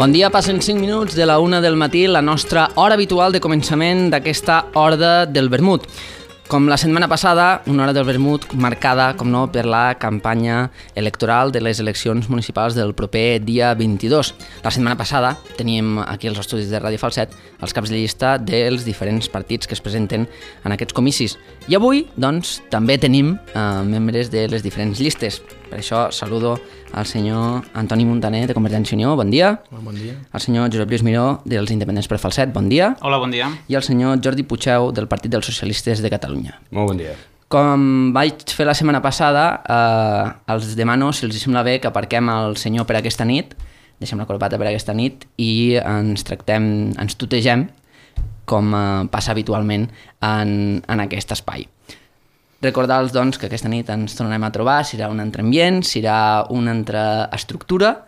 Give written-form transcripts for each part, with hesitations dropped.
Bon dia, passen 5 minuts de la 1 del matí, la nostra hora habitual de començament d'aquesta Horda del Vermut. Com la setmana passada, una hora del vermut marcada, com no, per la campanya electoral de les eleccions municipals del proper dia 22. La setmana passada teníem aquí als estudis de Ràdio Falset els caps de llista dels diferents partits que es presenten en aquests comicis. I avui, doncs, també tenim membres de les diferents llistes. Per això saludo al senyor Antoni Montaner, de Convergència i Unió, bon dia. Bon dia. Al senyor Josep Lluís Miró, dels Independents per Falset, bon dia. Hola, bon dia. I al senyor Jordi Puigdeu, del Partit dels Socialistes de Catalunya. Molt bon dia. Com vaig fer la setmana passada, els demano si els sembla bé que aparquem el senyor per aquesta nit, deixem la corbata per aquesta nit i ens tutegem com passa habitualment en aquest espai. Recordar-los, doncs, que aquesta nit ens tornarem a trobar, serà un altre ambient, serà una altra estructura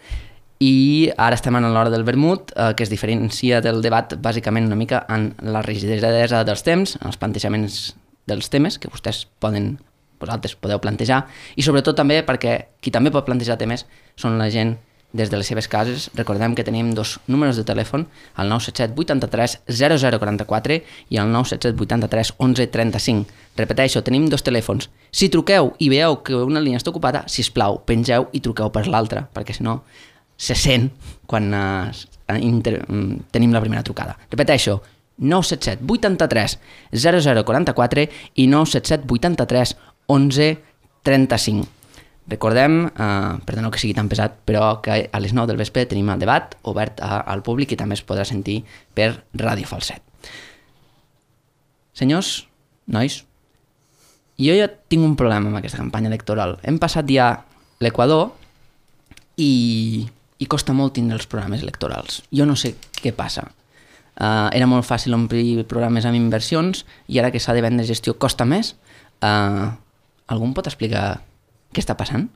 i ara estem en l'hora del vermut, que es diferencia del debat bàsicament una mica en la rigidesa dels temps, en els plantejaments dels temes que vosaltres podeu plantejar i sobretot també perquè qui també pot plantejar temes són la gent des de les seves cases. Recordem que tenim dos números de telèfon, el 977 83 0044 i el 977 83 11 35. Repeteixo, tenim dos telèfons. Si truqueu i veieu que una línia està ocupada, sisplau, pengeu i truqueu per l'altra, perquè si no se sent quan tenim la primera trucada. Repeteixo, 977 83 0044 i 977 83 11 35. Recordem, perdoneu que sigui tan pesat, però que a les 9 del vespre tenim el debat obert al públic i també es podrà sentir per Ràdio Falset. Senyors, nois, jo ja tinc un problema amb aquesta campanya electoral. Hem passat ja l'Equador i costa molt tindre els programes electorals. Jo no sé què passa. Era molt fàcil omplir programes amb inversions i ara que s'ha de vendre gestió costa més. Algú em pot explicar què està passant?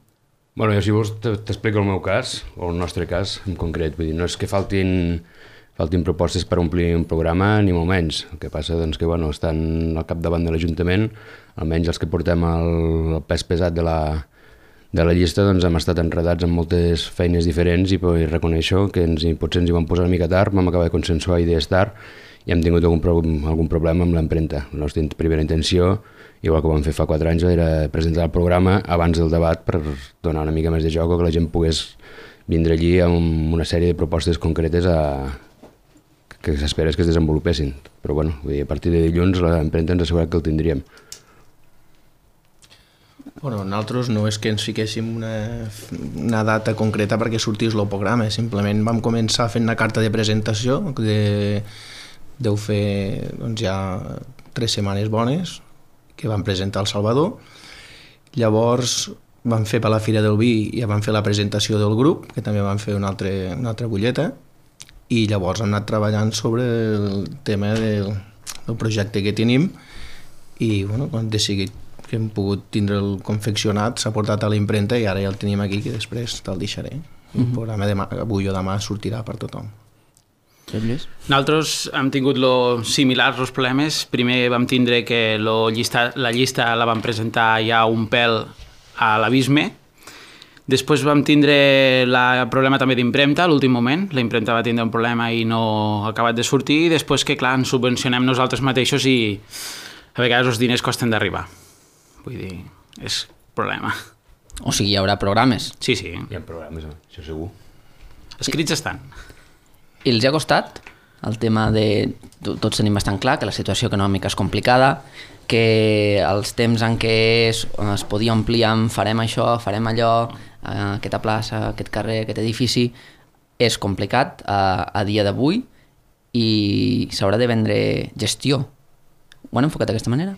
Bueno, jo si vols t'explico el meu cas, o el nostre cas en concret. Vull dir, no és que faltin propostes per omplir un programa, ni molt menys. El que passa doncs, que bueno, estan al capdavant de l'Ajuntament, almenys els que portem el pes pesat de la llista, doncs hem estat enredats en moltes feines diferents i reconeixo que potser ens hi vam posar una mica tard, vam acabar de consensuar idees tard i hem tingut algun problema amb l'empremta. La nostra primera intenció, igual que ho vam fer fa 4 anys, era presentar el programa abans del debat per donar una mica més de joc o que la gent pogués vindre allí amb una sèrie de propostes concretes que s'espera que es desenvolupessin. Però bueno, a partir de dilluns l'empremta ens ha assegurat que el tindríem. Bueno, nosaltres no és que ens fiquéssim una data concreta perquè sortís el programa, simplement vam començar fent una carta de presentació, deu fer doncs, ja 3 setmanes bones, que vam presentar al Salvador. Llavors vam fer per la Fira del Vi i ja vam fer la presentació del grup, que també vam fer una altra butlleta, i llavors hem anat treballant sobre el tema del projecte que tenim i bueno, quan hem decidit que hem pogut tindre el confeccionat, s'ha portat a la impremta i ara ja el tenim aquí, que després te'l deixaré. El programa avui o demà sortirà per tothom. Nosaltres hem tingut similars els problemes. Primer vam tindre que la llista la vam presentar ja un pèl a l'abisme. Després vam tindre el problema també d'impremta a l'últim moment. La impremta va tindre un problema i no ha acabat de sortir. I després que, clar, ens subvencionem nosaltres mateixos i a vegades els diners costen d'arribar. Vull dir, és problema. O sigui, hi haurà programes? Sí. Hi ha programes, això segur. Escrits estan. I els ha costat el tema de... Tots tenim bastant clar que la situació econòmica és complicada, que els temps en què es podia omplir amb farem això, farem allò, aquesta plaça, aquest carrer, aquest edifici, és complicat a dia d'avui i s'haurà de vendre gestió. Ho han enfocat d'aquesta manera?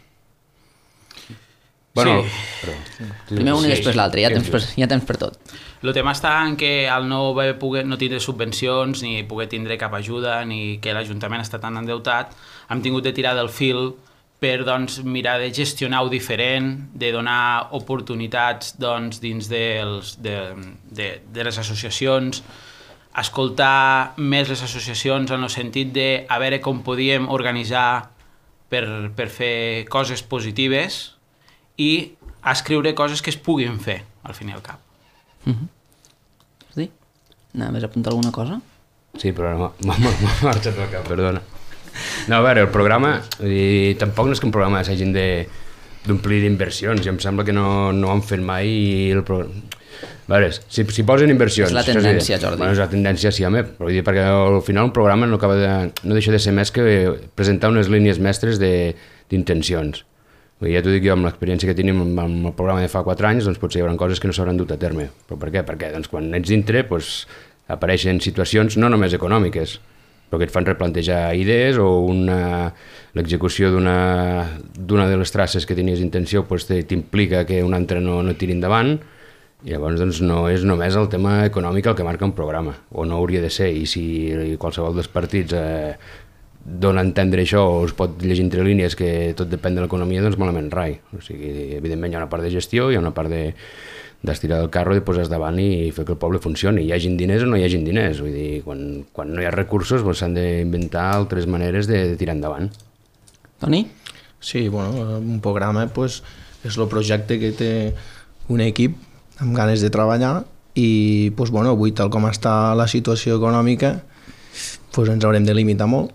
Bueno, sí. Primer un i després l'altre, hi ha temps per tot. El tema està en que al no tindre subvencions ni poder tindre cap ajuda ni que l'Ajuntament està tan endeutat, hem tingut de tirar del fil per doncs, mirar de gestionar-ho diferent, de donar oportunitats doncs, dins de les associacions, escoltar més les associacions en el sentit de a veure com podíem organitzar per fer coses positives i escriure coses que es puguin fer, al fin i al cap. Sí? Anaves a apuntar alguna cosa? Sí, però m'ha marxat del cap, perdona. No, a veure, el programa, tampoc no és que un programa s'hagin d'omplir d'inversions, i em sembla que no ho han fet mai i el programa... A veure, si posen inversions... És la tendència, Jordi. Bueno, és la tendència, sí, home, però vull dir, perquè al final un programa no deixa de ser més que presentar unes línies mestres d'intencions. Ja t'ho dic jo, amb l'experiència que tenim amb el programa de fa 4 anys, doncs potser hi haurà coses que no s'hauran dut a terme. Però per què? Perquè doncs, quan ets dintre doncs, apareixen situacions no només econòmiques, però que et fan replantejar idees o l'execució d'una de les traces que tenies intenció doncs, t'implica que una altra no tiri endavant, i llavors doncs, no és només el tema econòmic el que marca un programa, o no hauria de ser, i si qualsevol dels partits dona a entendre això o es pot llegir entre línies que tot depèn de l'economia, doncs malament rai. O sigui, evidentment hi ha una part de gestió, hi ha una part d'estirar del carro i posar davant i fer que el poble funcioni. Hi hagin diners o no hi hagin diners. Vull dir, quan no hi ha recursos s'han d'inventar altres maneres de tirar endavant. Toni? Sí, bueno, un programa pues, és el projecte que té un equip amb ganes de treballar i pues, bueno, avui tal com està la situació econòmica pues, ens haurem de limitar molt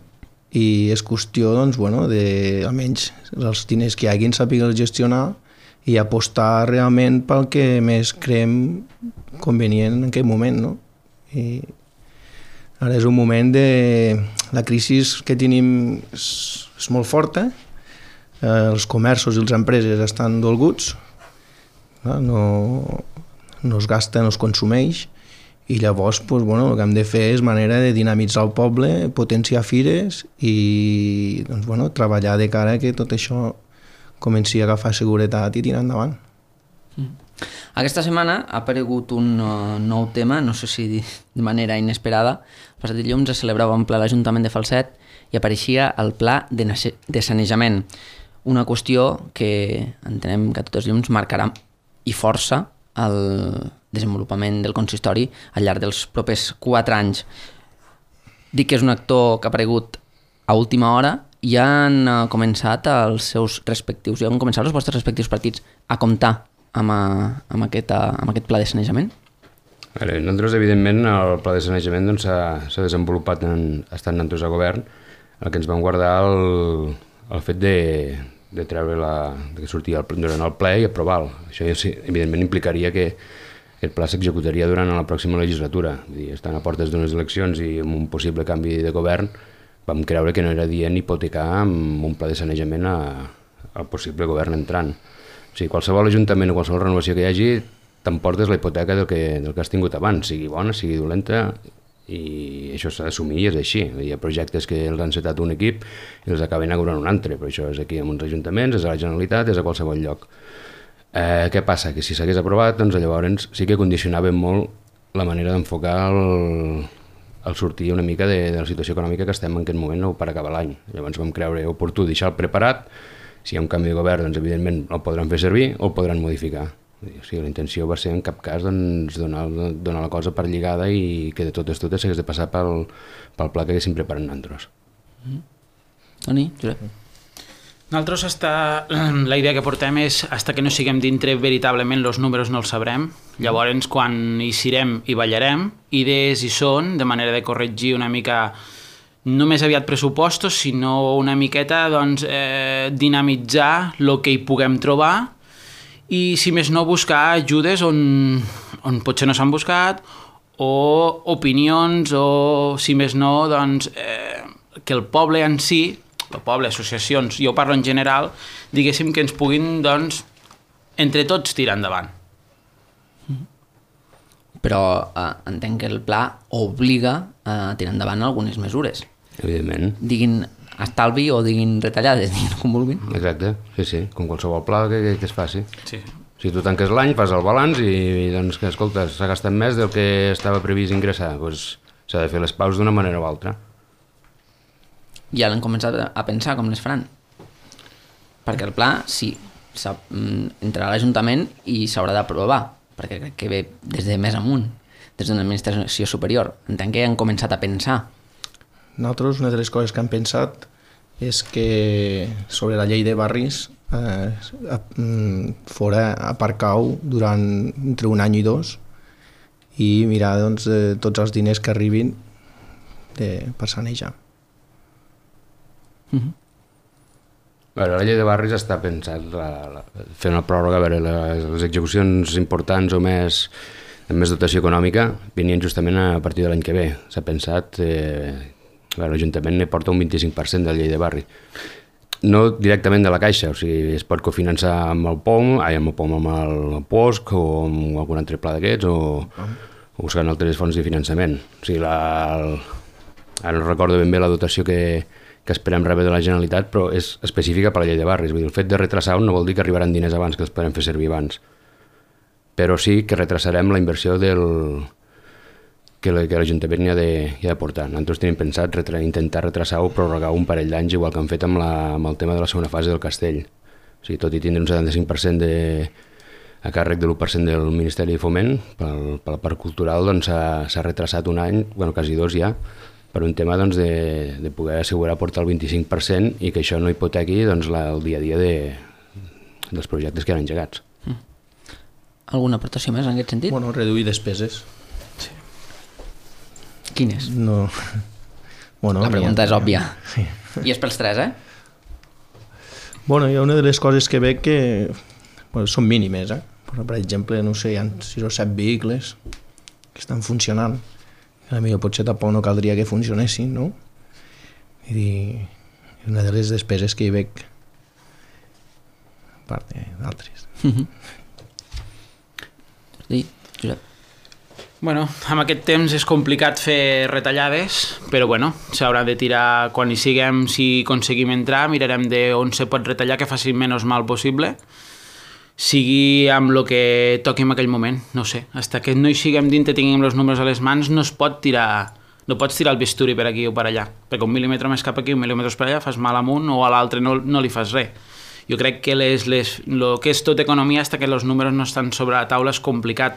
i és qüestió doncs, bueno, de almenys els diners que hi hagin saber-los gestionar i apostar realment pel que més creiem convenient en aquell moment. No? I ara és un moment de... La crisi que tenim és molt forta, els comerços i les empreses estan dolguts, no es gasta, no es consumeix, i llavors doncs, bueno, el que hem de fer és manera de dinamitzar el poble, potenciar fires i doncs, bueno, treballar de cara que tot això comenci a agafar seguretat i tirar endavant. Aquesta setmana ha aparegut un nou tema, no sé si de manera inesperada. El passat dilluns es celebrava un ple a l'Ajuntament de Falset i apareixia el pla de sanejament, una qüestió que entenem que a tots els llums marcarà i força el desenvolupament del consistori al llarg dels propers 4 anys. Dic que és un actor que ha aparegut a última hora i han començat els vostres respectius partits a comptar amb aquest pla de sanejament? Nosaltres, evidentment, el pla de sanejament s'ha desenvolupat estant nosaltres a govern, el que ens vam guardar el fet de treure que sortia durant el ple i aprovar-lo. Això, evidentment, implicaria que aquest pla s'executaria durant la pròxima legislatura. Estant a portes d'unes eleccions i amb un possible canvi de govern, vam creure que no era dient hipotecar amb un pla de sanejament al possible govern entrant. O sigui, qualsevol ajuntament o qualsevol renovació que hi hagi, t'emportes la hipoteca del que has tingut abans, sigui bona, sigui dolenta, i això s'ha d'assumir i és així. Hi ha projectes que els ha encetat un equip i els acaben inaugurant un altre, però això és aquí en uns ajuntaments, és a la Generalitat, és a qualsevol lloc. Què passa? Que si s'hagués aprovat, doncs llavors sí que condicionava molt la manera d'enfocar el sortir una mica de la situació econòmica que estem en aquest moment per acabar l'any. Llavors vam creure oportú deixar-lo preparat. Si hi ha un canvi de govern, doncs evidentment el podran fer servir o el podran modificar. O sigui, la intenció va ser en cap cas doncs, donar la cosa per lligada i que de totes s'hagués de passar pel pla que haguéssim preparat nosaltres. Toni, Josep? Nosaltres la idea que portem és fins que no siguem dintre veritablement els números no els sabrem, llavors quan hi serem i ballarem, idees hi són de manera de corregir una mica no més aviat pressupostos, sinó una miqueta doncs, dinamitzar el que hi puguem trobar i si més no buscar ajudes on potser no s'han buscat o opinions o si més no doncs, que el poble en si, el poble, associacions, jo parlo en general, diguéssim que ens puguin doncs, entre tots tirar endavant. Però entenc que el pla obliga a tirar endavant algunes mesures. Evidentment. Diguin estalvi o diguin retallades, diguin com vulguin. Exacte, sí, com qualsevol pla que es faci. Sí. Si tu tanques l'any, fas el balanç i doncs que, escolta, s'ha gastat més del que estava previst ingressar, doncs s'ha de fer les paus d'una manera o altra. Ja l'han començat a pensar com les faran. Perquè el pla, sí, entrarà a l'Ajuntament i s'haurà d'aprovar, perquè crec que ve des de més amunt, des d'una administració superior. Entenc que han començat a pensar. Nosaltres, una de les coses que hem pensat és que sobre la llei de barris fora aparcar-ho durant entre un any i 2 i mirar doncs, tots els diners que arribin per sanejar. A veure, la llei de barris està pensat fer una pròrroga, a veure, les execucions importants o amb més dotació econòmica venien justament a partir de l'any que ve. S'ha pensat, l'Ajuntament ne porta un 25% de la llei de barri. No directament de la Caixa, o sigui, es pot cofinançar amb el POM, amb el POSC o amb algun altre pla d'aquests o buscant altres fonts de finançament. O sigui, ara no recordo ben bé la dotació que esperem rebre de la Generalitat, però és específica per la llei de barris. Vull dir, el fet de retrasar no vol dir que arribaran diners abans, que els podem fer servir abans. Però sí que retrasarem la inversió que l'Ajuntament hi ha de portar. Nosaltres tenim pensat intentar retrasar o prorrogar un parell d'anys, igual que han fet amb el tema de la segona fase del castell. O sigui, tot i tindre un 75% a càrrec de l'1% del Ministeri de Foment, per la part cultural doncs, s'ha retrasat un any, quasi 2 ja, per un tema doncs, de poder assegurar portar el 25% i que això no hipotequi doncs, el dia a dia dels projectes que han engegats. Alguna aportació més en aquest sentit? Bueno, reduir despeses. Sí. Quines? No. Bueno, la pregunta és òbvia. Sí. I és pels tres, Bueno, hi ha una de les coses que veig que són mínimes, Per exemple, no sé, hi ha 6 o 7 vehicles que estan funcionant. Potser tampoc no caldria que funcionessin, no? Vull dir, una de les despeses que hi veig a part d'altres. Josep? Bueno, amb aquest temps és complicat fer retallades, però bueno, s'haurà de tirar quan hi siguem, si aconseguim entrar, mirarem d'on se pot retallar que faci menys mal possible, sigui amb el que toqui en aquell moment, no sé. Fins que no hi siguem dintre, tinguem els números a les mans, no es pot tirar, no pots tirar el bisturi per aquí o per allà, perquè 1 mil·límetre més cap aquí, 1 mil·límetre per allà, fas mal amunt o a l'altre no li fas res. Jo crec que el que és tot economia, fins que els números no estan sobre la taula, és complicat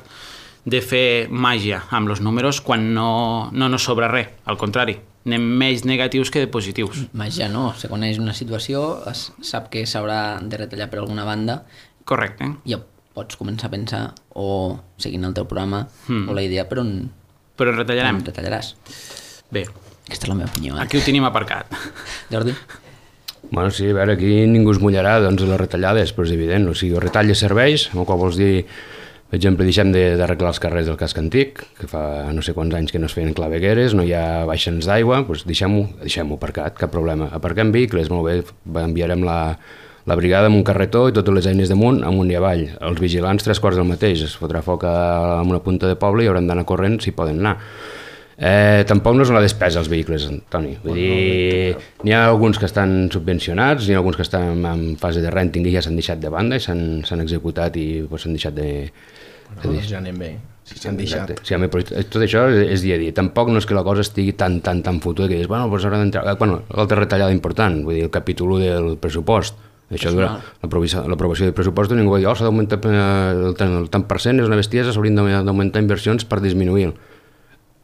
de fer màgia amb els números quan no sobra res, al contrari, anem més negatius que de positius. Màgia no, se coneix una situació, es sap que s'haurà de retallar per alguna banda. Correcte. Ja pots començar a pensar o seguint el teu programa o la idea per on retallarem. Retallaràs. Bé. Aquesta és la meva opinió. Aquí ho tenim aparcat. Jordi? Bueno, sí, a veure, aquí ningú es mullarà doncs, les retallades, però és evident. O sigui, retalles serveis, amb el qual vols dir, per exemple, deixem d'arreglar els carrers del casc antic, que fa no sé quants anys que no es feien clavegueres, no hi ha baixants d'aigua, doncs deixem-ho aparcat, cap problema. Aparquem vehicles, molt bé, enviarem la brigada amb un carretó i totes les eines damunt, amunt i avall. Els vigilants 3/4 del mateix, es fotrà foc en una punta de poble i hauran d'anar corrent si poden anar. Tampoc no és una despesa els vehicles, Toni. Vull dir, n'hi ha alguns que estan subvencionats, n'hi ha alguns que estan en fase de renting i ja s'han deixat de banda i s'han executat i s'han deixat de... Ja anem bé, si s'han deixat. Sí, però tot això és dia a dia. Tampoc no és que la cosa estigui tan fotuda que dius, bueno, doncs haurà d'entrar... Bueno, l'altra retallada important, vull dir, el capítol 1 del pressupost. Això dura l'aprovació del pressupost, ningú va dir, s'ha d'augmentar el tant per cent, és una bestiesa, s'haurien d'augmentar inversions per disminuir.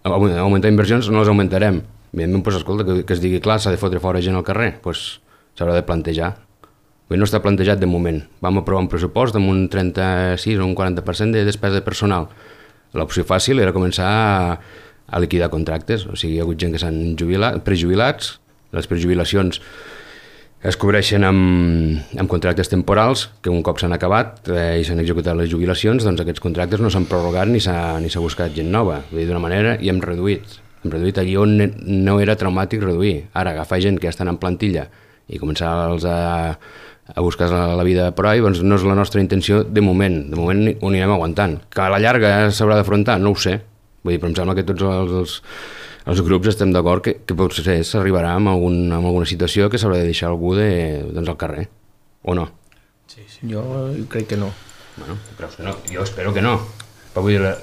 Augmentar inversions no les augmentarem. Evidentment, doncs, escolta, que es digui clar, s'ha de fotre fora gent al carrer, doncs s'haurà de plantejar. No està plantejat de moment. Vam aprovar un pressupost amb un 36 o un 40% de despesa de personal. L'opció fàcil era començar a liquidar contractes, o sigui, hi ha hagut gent que s'han prejubilats, les prejubilacions es cobreixen amb contractes temporals que un cop s'han acabat i s'han executat les jubilacions, doncs aquests contractes no s'han prorrogat ni s'ha buscat gent nova. Vull dir, d'una manera, i hem reduït allí on no era traumàtic reduir. Ara, agafar gent que ja estan en plantilla i començar-los a buscar la vida per ahí, doncs no és la nostra intenció de moment. De moment ho anirem aguantant. Que a la llarga s'haurà d'afrontar, no ho sé. Vull dir, però em sembla que tots els grups estem d'acord que potser s'arribarà amb alguna situació que s'haurà de deixar algú doncs, al carrer, o no? Sí. Jo crec que no. Bueno, creus que no? Jo espero que no. Però vull dir,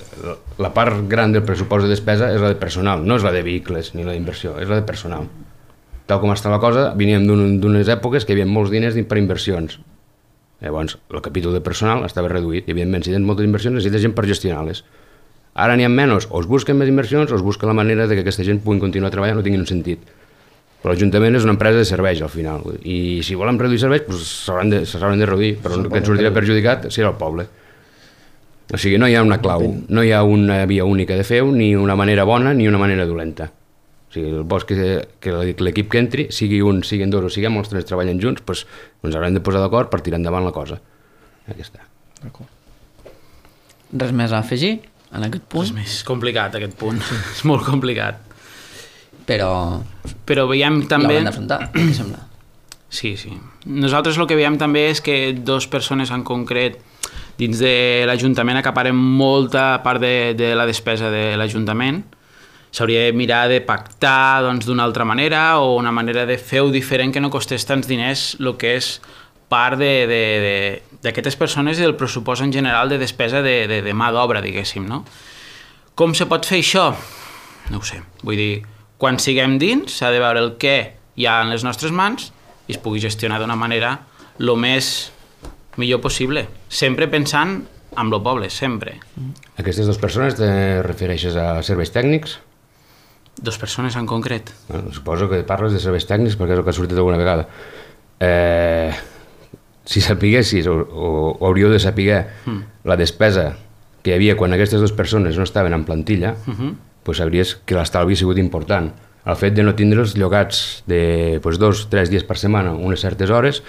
la part gran del pressupost de despesa és la de personal, no és la de vehicles ni la d'inversió, és la de personal. Tal com està la cosa, veníem d'unes èpoques que hi havia molts diners per inversions. Llavors, el capítol de personal estava reduït i, evidentment, si tens moltes inversions, necessites gent per gestionar-les. Ara n'hi ha menys, o es busquen més inversions o es busca la manera de que aquesta gent pugui continuar treballant, no tinguin un sentit. Però l'Ajuntament és una empresa de serveis, al final, i si volen reduir serveis, doncs s'hauran de reduir, però el que ens sortirà perjudicat serà el poble. O sigui, no hi ha una clau, no hi ha una via única de fer-ho, ni una manera bona ni una manera dolenta. O sigui, el bo és que l'equip que entri, sigui un, siguin dos o siguem els tres treballen junts, doncs ens haurem de posar d'acord per tirar endavant la cosa. Aquí està. Res més a afegir en aquest punt? És més complicat aquest punt, és molt complicat. Però veiem també... l'haurem d'afrontar, què sembla? Sí. Nosaltres el que veiem també és que dos persones en concret dins de l'Ajuntament acaparen molta part de la despesa de l'Ajuntament. S'hauria de mirar de pactar d'una altra manera o una manera de fer-ho diferent que no costés tants diners el que és part d'aquestes persones i del pressupost en general de despesa de mà d'obra, diguéssim, no? Com se pot fer això? No ho sé. Vull dir, quan siguem dins s'ha de veure el què hi ha en les nostres mans i es pugui gestionar d'una manera el més millor possible, sempre pensant en el poble, sempre. Aquestes dues persones te refereixes a serveis tècnics? Dos persones en concret. Bueno, suposo que parles de serveis tècnics perquè és el que ha sortit alguna vegada. Si sapiguessis o hauríeu de saber la despesa que hi havia quan aquestes dues persones no estaven en plantilla, doncs sabries que l'estalvi ha sigut important. El fet de no tindre'ls llogats de 2-3 dies per setmana, unes certes hores,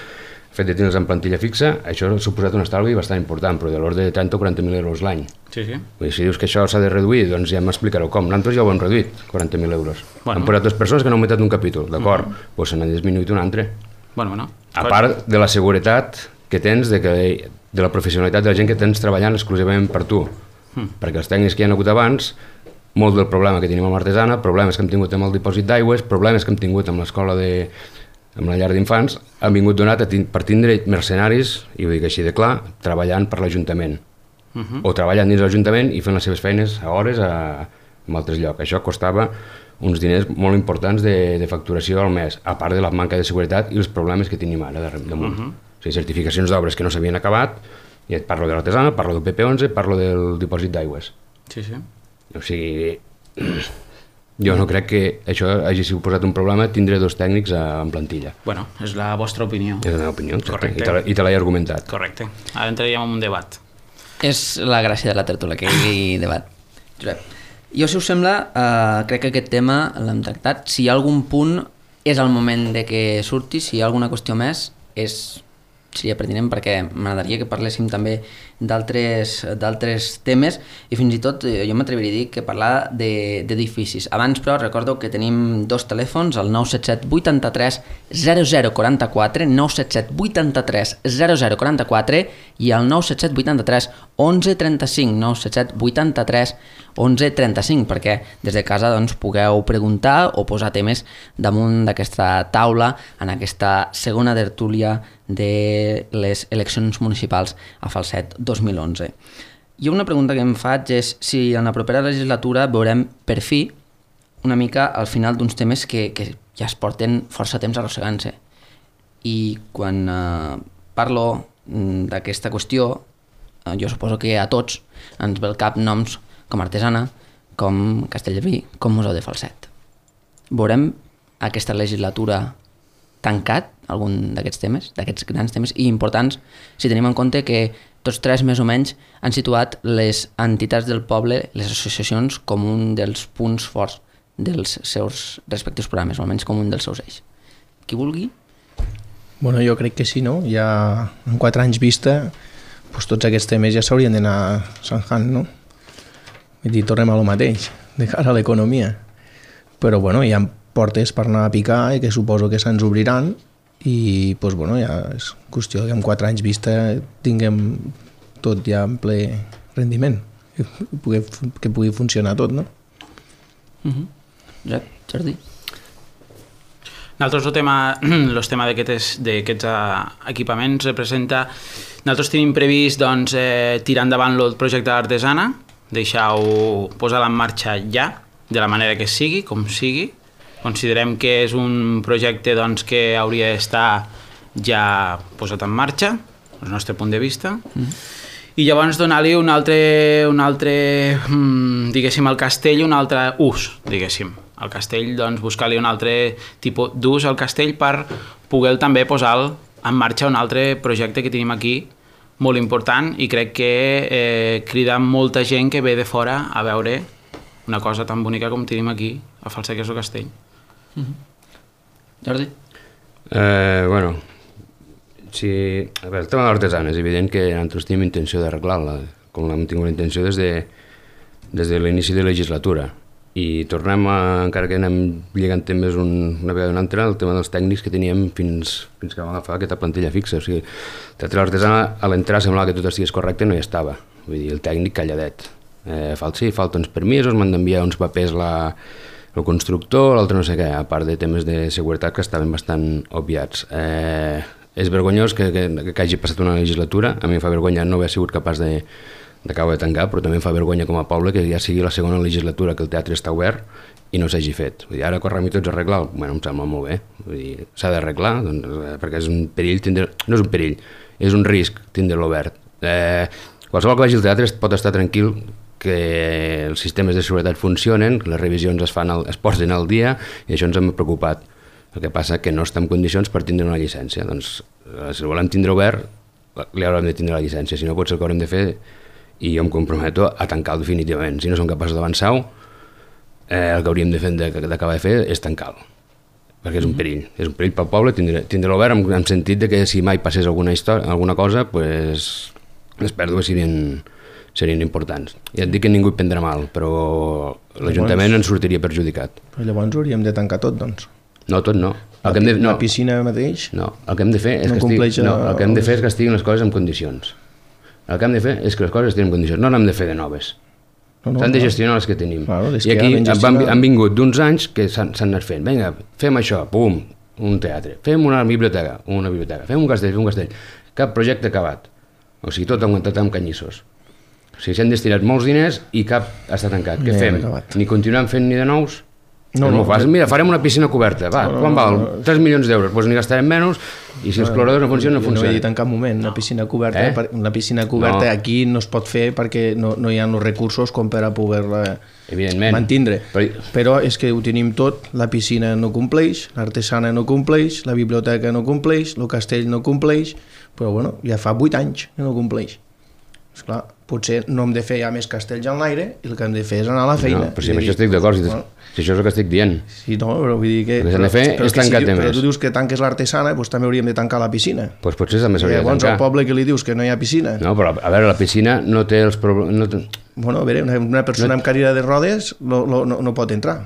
el fet de tindre'ls en plantilla fixa, això ha suposat un estalvi bastant important, però de l'ordre de 30 o 40.000 euros l'any. Sí. Vull dir, si dius que això s'ha de reduir, doncs ja m'explicareu com. Nosaltres ja ho hem reduït, 40.000 euros. Han posat dues persones que han augmentat un capítol, d'acord, doncs se n'ha disminuït un altre. A part de la seguretat que tens, de la professionalitat de la gent que tens treballant exclusivament per tu, perquè els tècnics que hi ha hagut abans, molt del problema que tenim amb l'artesana, problemes que hem tingut amb el dipòsit d'aigües, problemes que hem tingut amb l'escola amb la llar d'infants, han vingut donat per tindre mercenaris, i ho dic així de clar, treballant per l'Ajuntament. O treballant dins l'Ajuntament i fent les seves feines a hores en altres llocs. Això costava uns diners molt importants de facturació al mes, a part de la manca de seguretat i els problemes que tenim ara damunt. O sigui, certificacions d'obres que no s'havien acabat, i et parlo de l'artesana, parlo del PP11, parlo del dipòsit d'aigües. Sí. O sigui, jo no crec que això hagi suposat un problema tindre dos tècnics en plantilla. Bueno, és la vostra opinió. És la meva opinió, exacte. I te l'he argumentat. Correcte. Ara entraríem en un debat. És la gràcia de la tertúlia, que hi hagi debat. Josep, jo, si us sembla, crec que aquest tema l'hem tractat. Si hi ha algun punt, és el moment de que surti. Si hi ha alguna qüestió més, seria pertinent, perquè m'agradaria que parléssim també d'altres temes, i fins i tot jo m'atreviria a dir que parlar d'edificis. Abans, però, recordo que tenim dos telèfons, el 977 83 0044, 977 83 0044 i el 977 83 1135, 977 83 1135, perquè des de casa pugueu preguntar o posar temes damunt d'aquesta taula en aquesta segona tertúlia de les eleccions municipals a Falset 2011. I una pregunta que em faig és si en la propera legislatura veurem per fi una mica al final d'uns temes que ja es porten força temps arrossegant-se. I quan parlo d'aquesta qüestió, jo suposo que a tots ens ve al cap noms com Artesana, com Castellví, com Museu de Falset. Veurem aquesta legislatura tancat algun d'aquests temes, d'aquests grans temes i importants, si tenim en compte que tots tres més o menys han situat les entitats del poble, les associacions, com un dels punts forts dels seus respectius programes, o almenys com un dels seus eixos. Qui vulgui? Bueno, jo crec que sí, no? Ja en 4 anys vista, doncs tots aquests temes ja s'haurien d'anar zanjant, no? Vull dir, tornem a lo mateix, de cara a l'economia. Però bueno, hi ha portes per anar a picar i que suposo que se'ns obriran i doncs, bueno, ja és qüestió que en 4 anys vista tinguem tot ja en ple rendiment, que pugui funcionar tot, no? Josep, Jordi? Nosaltres el tema d'aquests equipaments representa... Nosaltres tenim previst tirar endavant el projecte d'Artesana, deixar-ho, posar-la en marxa ja, de la manera que sigui, com sigui. Considerem que és un projecte que hauria d'estar ja posat en marxa, des del nostre punt de vista, i llavors donar-li un altre diguéssim, al castell, un altre ús, diguéssim. Al castell, buscar-li un altre tipus d'ús al castell per poder també posar en marxa un altre projecte que tenim aquí, molt important, i crec que crida molta gent que ve de fora a veure una cosa tan bonica com tenim aquí, a Falseques o Castell. Jordi? Bueno, sí, a veure, el tema de l'artesana és evident que nosaltres tenim intenció d'arreglar-la, com l'hem tingut la intenció des de l'inici de la legislatura, i tornem encara que anem lligant temes una vegada o una altra, el tema dels tècnics que teníem fins que vam agafar aquesta plantilla fixa. O sigui, el teatre de l'artesana, a l'entrar semblava que tot estigués correcte, no hi estava. Vull dir, el tècnic calladet. Falta uns permisos, m'han d'enviar uns papers el constructor, l'altre no sé què, a part de temes de seguretat que estaven bastant obviats. És vergonyós que hagi passat una legislatura, a mi em fa vergonya no haver sigut capaç d'acabar de tancar, però també em fa vergonya com a poble que ja sigui la segona legislatura que el teatre està obert i no s'hagi fet. Vull dir, ara correm i tots a arreglar, bueno, em sembla molt bé. Vull dir, s'ha d'arreglar, doncs, perquè és un perill, no és un perill, és un risc tindre-lo obert. Qualsevol que vagi al teatre pot estar tranquil que els sistemes de seguretat funcionen, les revisions es posen al dia i això ens hem preocupat. El que passa que no està en condicions per tindre una llicència. Doncs, si el volem tindre obert, li haurem de tindre la llicència, si no pot ser el que haurem de fer i jo em comprometo a tancar-lo definitivament. Si no som capaços d'avançar-ho, el que hauríem d'acabar de fer és tancar-lo, perquè és un perill pel poble tindre-lo obert en sentit que si mai passés alguna cosa, pues, les pèrdues serien importants. Ja et dic que ningú hi prendrà mal, però l'Ajuntament en sortiria perjudicat. Però llavors hauríem de tancar tot, doncs. No, tot no. La piscina mateix? No, el que hem de fer és que estiguin les coses en condicions. El que hem de fer és que les coses estiguin en condicions, no n'hem de fer de noves. S'han de gestionar les que tenim. I aquí han vingut d'uns anys que s'han anat fent. Vinga, fem això, pum, un teatre. Fem una biblioteca. Fem un castell. Cap projecte acabat. O sigui, tot aguantat amb canyissos. O sigui, s'han destinat molts diners i cap està tancat. Què fem? Ni continuem fent ni de nous? Mira, farem una piscina coberta, quan val? 3 milions d'euros, doncs n'hi gastarem menys i si els cloradors no funcionen, no funcionen. No he dit en cap moment, una piscina coberta aquí no es pot fer perquè no hi ha els recursos com per a poder-la mantindre. Però és que ho tenim tot, la piscina no compleix, l'artesana no compleix, la biblioteca no compleix, el castell no compleix, però bueno, ja fa 8 anys que no compleix. Esclar, potser no hem de fer ja més castells en l'aire i el que hem de fer és anar a la feina. Però si amb això estic d'acord, si això és el que estic dient. Sí, no, però vull dir que... El que s'han de fer és tancar temes. Però tu dius que tanques l'artesana, doncs també hauríem de tancar la piscina. Doncs potser també s'hauria de tancar. Llavors al poble que li dius que no hi ha piscina. No, però a veure, la piscina no té els problemes... Bueno, a veure, una persona amb cadira de rodes no pot entrar.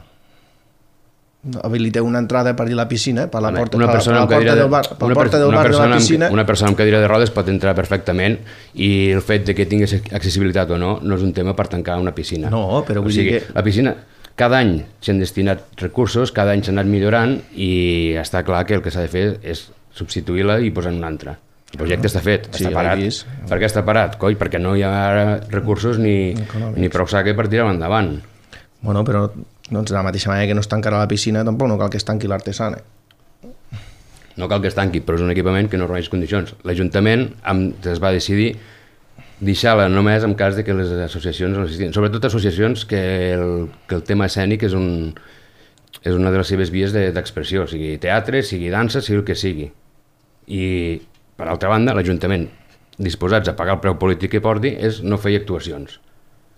Habilita una entrada per a la piscina, per la porta del bar de la piscina. Una persona amb cadira de rodes pot entrar perfectament i el fet que tingués accessibilitat o no és un tema per tancar una piscina. No, però vull dir que... La piscina, cada any s'han destinat recursos, cada any s'ha anat millorant i està clar que el que s'ha de fer és substituir-la i posar una altra. El projecte està fet, està parat. Per què està parat? Coi, perquè no hi ha recursos ni prou saque per tirar-ho endavant. Bueno, però doncs de la mateixa manera que no es tancarà la piscina, tampoc no cal que es tanqui l'artesana. No cal que es tanqui, però és un equipament que no reuneix condicions. L'Ajuntament es va decidir deixar-la només en cas de que les associacions no existien. Sobretot associacions que el tema escènic és una de les seves vies d'expressió, sigui teatre, sigui dansa, sigui el que sigui. I, per altra banda, l'Ajuntament, disposats a pagar el preu polític que porti, és no fer actuacions.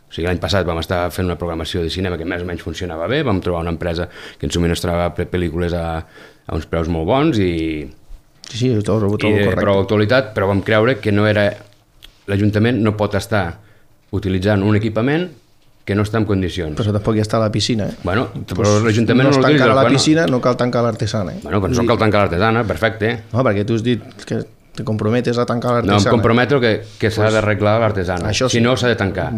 O sigui, l'any passat vam estar fent una programació de cinema que més o menys funcionava bé, vam trobar una empresa que ens subministrava pel·lícules a uns preus molt bons i de prou actualitat, però vam creure que no era... L'Ajuntament no pot estar utilitzant un equipament que no està en condicions. Però tampoc ja està a la piscina, Bueno, però l'Ajuntament no es tancarà la piscina, no cal tancar l'artesana. Bueno, però no cal tancar l'artesana, perfecte. No, perquè tu has dit que te comprometes a tancar l'artesana. No, em comprometo que s'ha d'arreglar l'artesana. Si no, s'ha de tancar.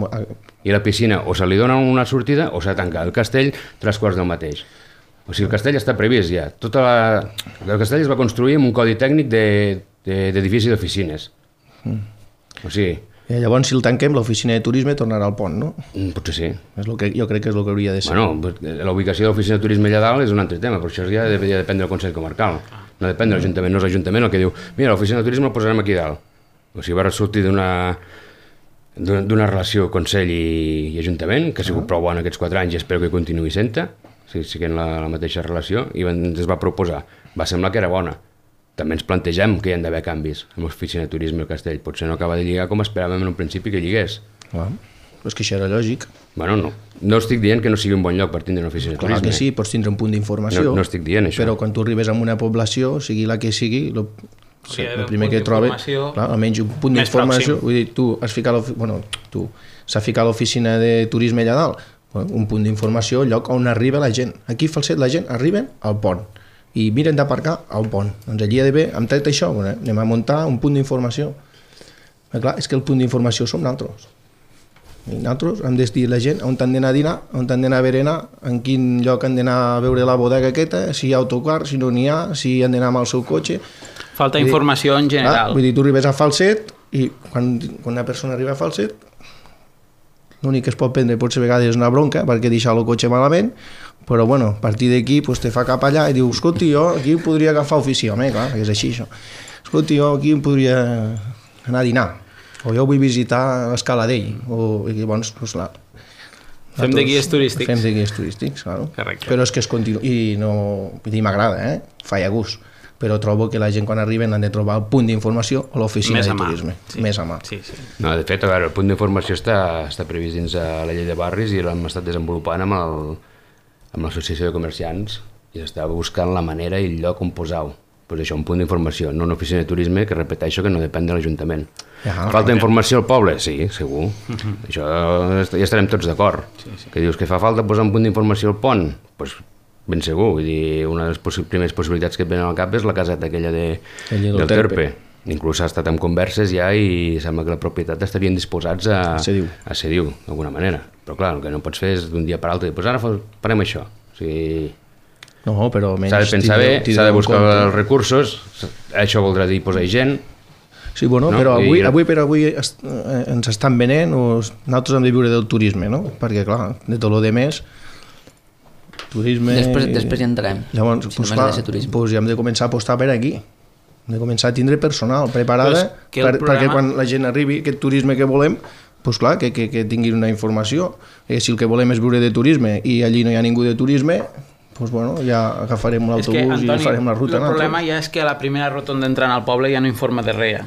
I la piscina o se li dona una sortida o s'ha de tancar. El castell, 3/4 del mateix. O sigui, el castell està previst ja. El castell es va construir amb un codi tècnic d'edifici d'oficines. O sigui... I llavors, si el tanquem, l'oficina de turisme tornarà al pont, no? Potser sí. Jo crec que és el que hauria de ser. Bueno, la ubicació de l'oficina de turisme allà dalt és un altre tema, però això ja depèn del Consell Comarcal. No depèn de l'Ajuntament, no és l'Ajuntament el que diu mira, l'oficina de turisme el posarem aquí dalt. O sigui, va sortir d'una relació Consell i Ajuntament, que ha sigut prou bona aquests 4 anys i espero que continuï sent-hi, siguent la mateixa relació, i ens va proposar. Va semblar que era bona. També ens plantegem que hi ha d'haver canvis amb l'oficina de turisme i el castell. Potser no acaba de lligar com esperàvem en un principi que lligués. és que això era lògic. Bueno, no estic dient que no sigui un bon lloc per tindre una oficina de Clar turisme. que sí, pots tindre un punt d'informació. No estic dient això. Però quan tu arribes a una població, sigui la que sigui, el primer que trobes, clar, almenys un punt d'informació, vull dir, tu has ficat s'ha ficat l'oficina de turisme allà dalt, un punt d'informació, el lloc on arriba la gent. Aquí a Falset la gent arriben al pont i miren d'aparcar al pont. Doncs allí ha d'haver, hem tret això, anem a muntar un punt d'informació. Clar, és que el punt d'informació som nosaltres. I nosaltres hem de dir a la gent on han d'anar a dinar, on han d'anar a berenar, en quin lloc han d'anar a veure la bodega aquesta, si hi ha autocar, si no n'hi ha, si han d'anar amb el seu cotxe. Falta informació en general. Vull dir, tu arribes a Falset i quan una persona arriba a Falset, l'únic que es pot prendre potser a vegades és una bronca perquè deixar el cotxe malament, però bueno, a partir d'aquí pues, te fa cap allà i diu, escolti, jo aquí podria agafar ofici, home, clar, és així això. Escolti, jo aquí podria anar a dinar, o jo vull visitar l'Escaladell, o llavors, doncs clar. Fem de guies turístics. Fem de guies turístics, claro. Correcte. Però és que es continua, i no, vull dir, m'agrada, fa a gust, però trobo que la gent quan arriben han de trobar el punt d'informació a l'oficina de turisme, més a mà. Sí, sí. No, de fet, a veure, el punt d'informació està previst dins la llei de barris i l'hem estat desenvolupant amb l'associació de comerciants i estava buscant la manera i el lloc on posar-ho. Pues això, un punt d'informació, no una oficina de turisme que repeteixo que no depèn de l'Ajuntament. Falta informació al poble? Sí, segur. Això ja estarem tots d'acord. Que dius que fa falta posar un punt d'informació al pont? Doncs ben segur. Vull dir, una de les primeres possibilitats que et venen al cap és la caseta aquella del Terpe. Inclús ha estat en converses ja i sembla que la propietat estarien disposats a cedir-ho, d'alguna manera. Però clar, el que no pots fer és d'un dia per l'altre, doncs ara farem això. O sigui... No, però s'ha de pensar bé, s'ha de buscar els recursos, això voldrà dir posar gent. Sí, bueno, no? Però avui ens estan venent, nosaltres hem de viure del turisme, no? Perquè, clar, de tot el de més, turisme... Després hi entrarem. Llavors, si clar, ja hem de començar a apostar per aquí. Hem de començar a tindre personal preparada perquè quan la gent arribi, aquest turisme que volem, doncs clar, que tingui una informació. Si el que volem és viure de turisme i allí no hi ha ningú de turisme, doncs bueno, ja agafarem l'autobús i farem la ruta. El problema ja és que a la primera rotonda entrant al poble ja no informa de res.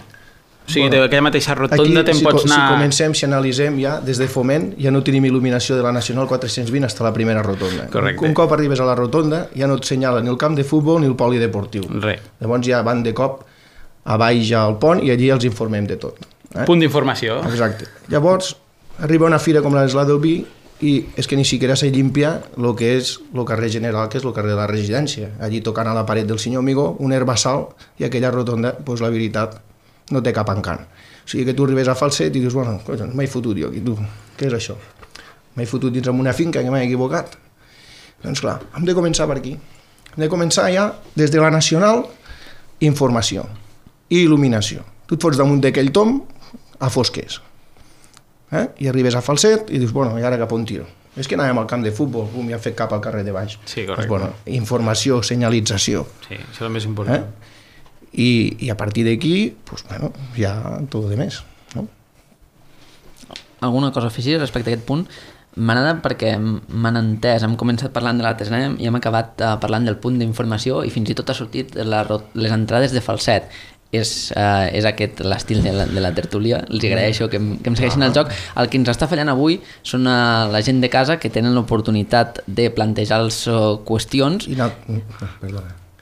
O sigui, d'aquella mateixa rotonda te'n pots anar... Si comencem, si analitzem ja, des de Foment, ja no tenim il·luminació de la Nacional 420 fins a la primera rotonda. Correcte. Un cop arribes a la rotonda ja no et senyala ni el camp de futbol ni el polideportiu. Res. Llavors ja van de cop a baix ja al pont i allí els informem de tot. Punt d'informació. Exacte. Llavors, arriba una fira com la del vi i és que ni siquiera se limpia el que és el carrer general, que és el carrer de la residència. Allí tocant a la paret del senyor Amigó, un herbassal, i aquella rotonda, doncs la veritat, no té cap encant. O sigui que tu arribes a Falset i dius, bueno, m'he fotut jo aquí, tu, què és això? M'he fotut dins una finca que m'he equivocat. Doncs clar, hem de començar per aquí. Hem de començar ja, des de la Nacional, informació i il·luminació. Tu et fots damunt d'aquell tom a fosques. I arribes a Falset i dius, bueno, i ara cap on tiro? És que anàvem al camp de futbol, ja hem fet cap al carrer de baix. Sí, correcte. Doncs, bueno, informació, senyalització. Sí, això és el més important. I a partir d'aquí, pues, bueno, ja tot de més. No? Alguna cosa a afegir respecte a aquest punt? M'agrada perquè m'han entès, hem començat parlant de la Tesnem i hem acabat parlant del punt d'informació i fins i tot ha sortit les entrades de Falset. És aquest l'estil de la tertúlia, els agraeixo que em segueixin el joc. El que ens està fallant avui són la gent de casa que tenen l'oportunitat de plantejar-los qüestions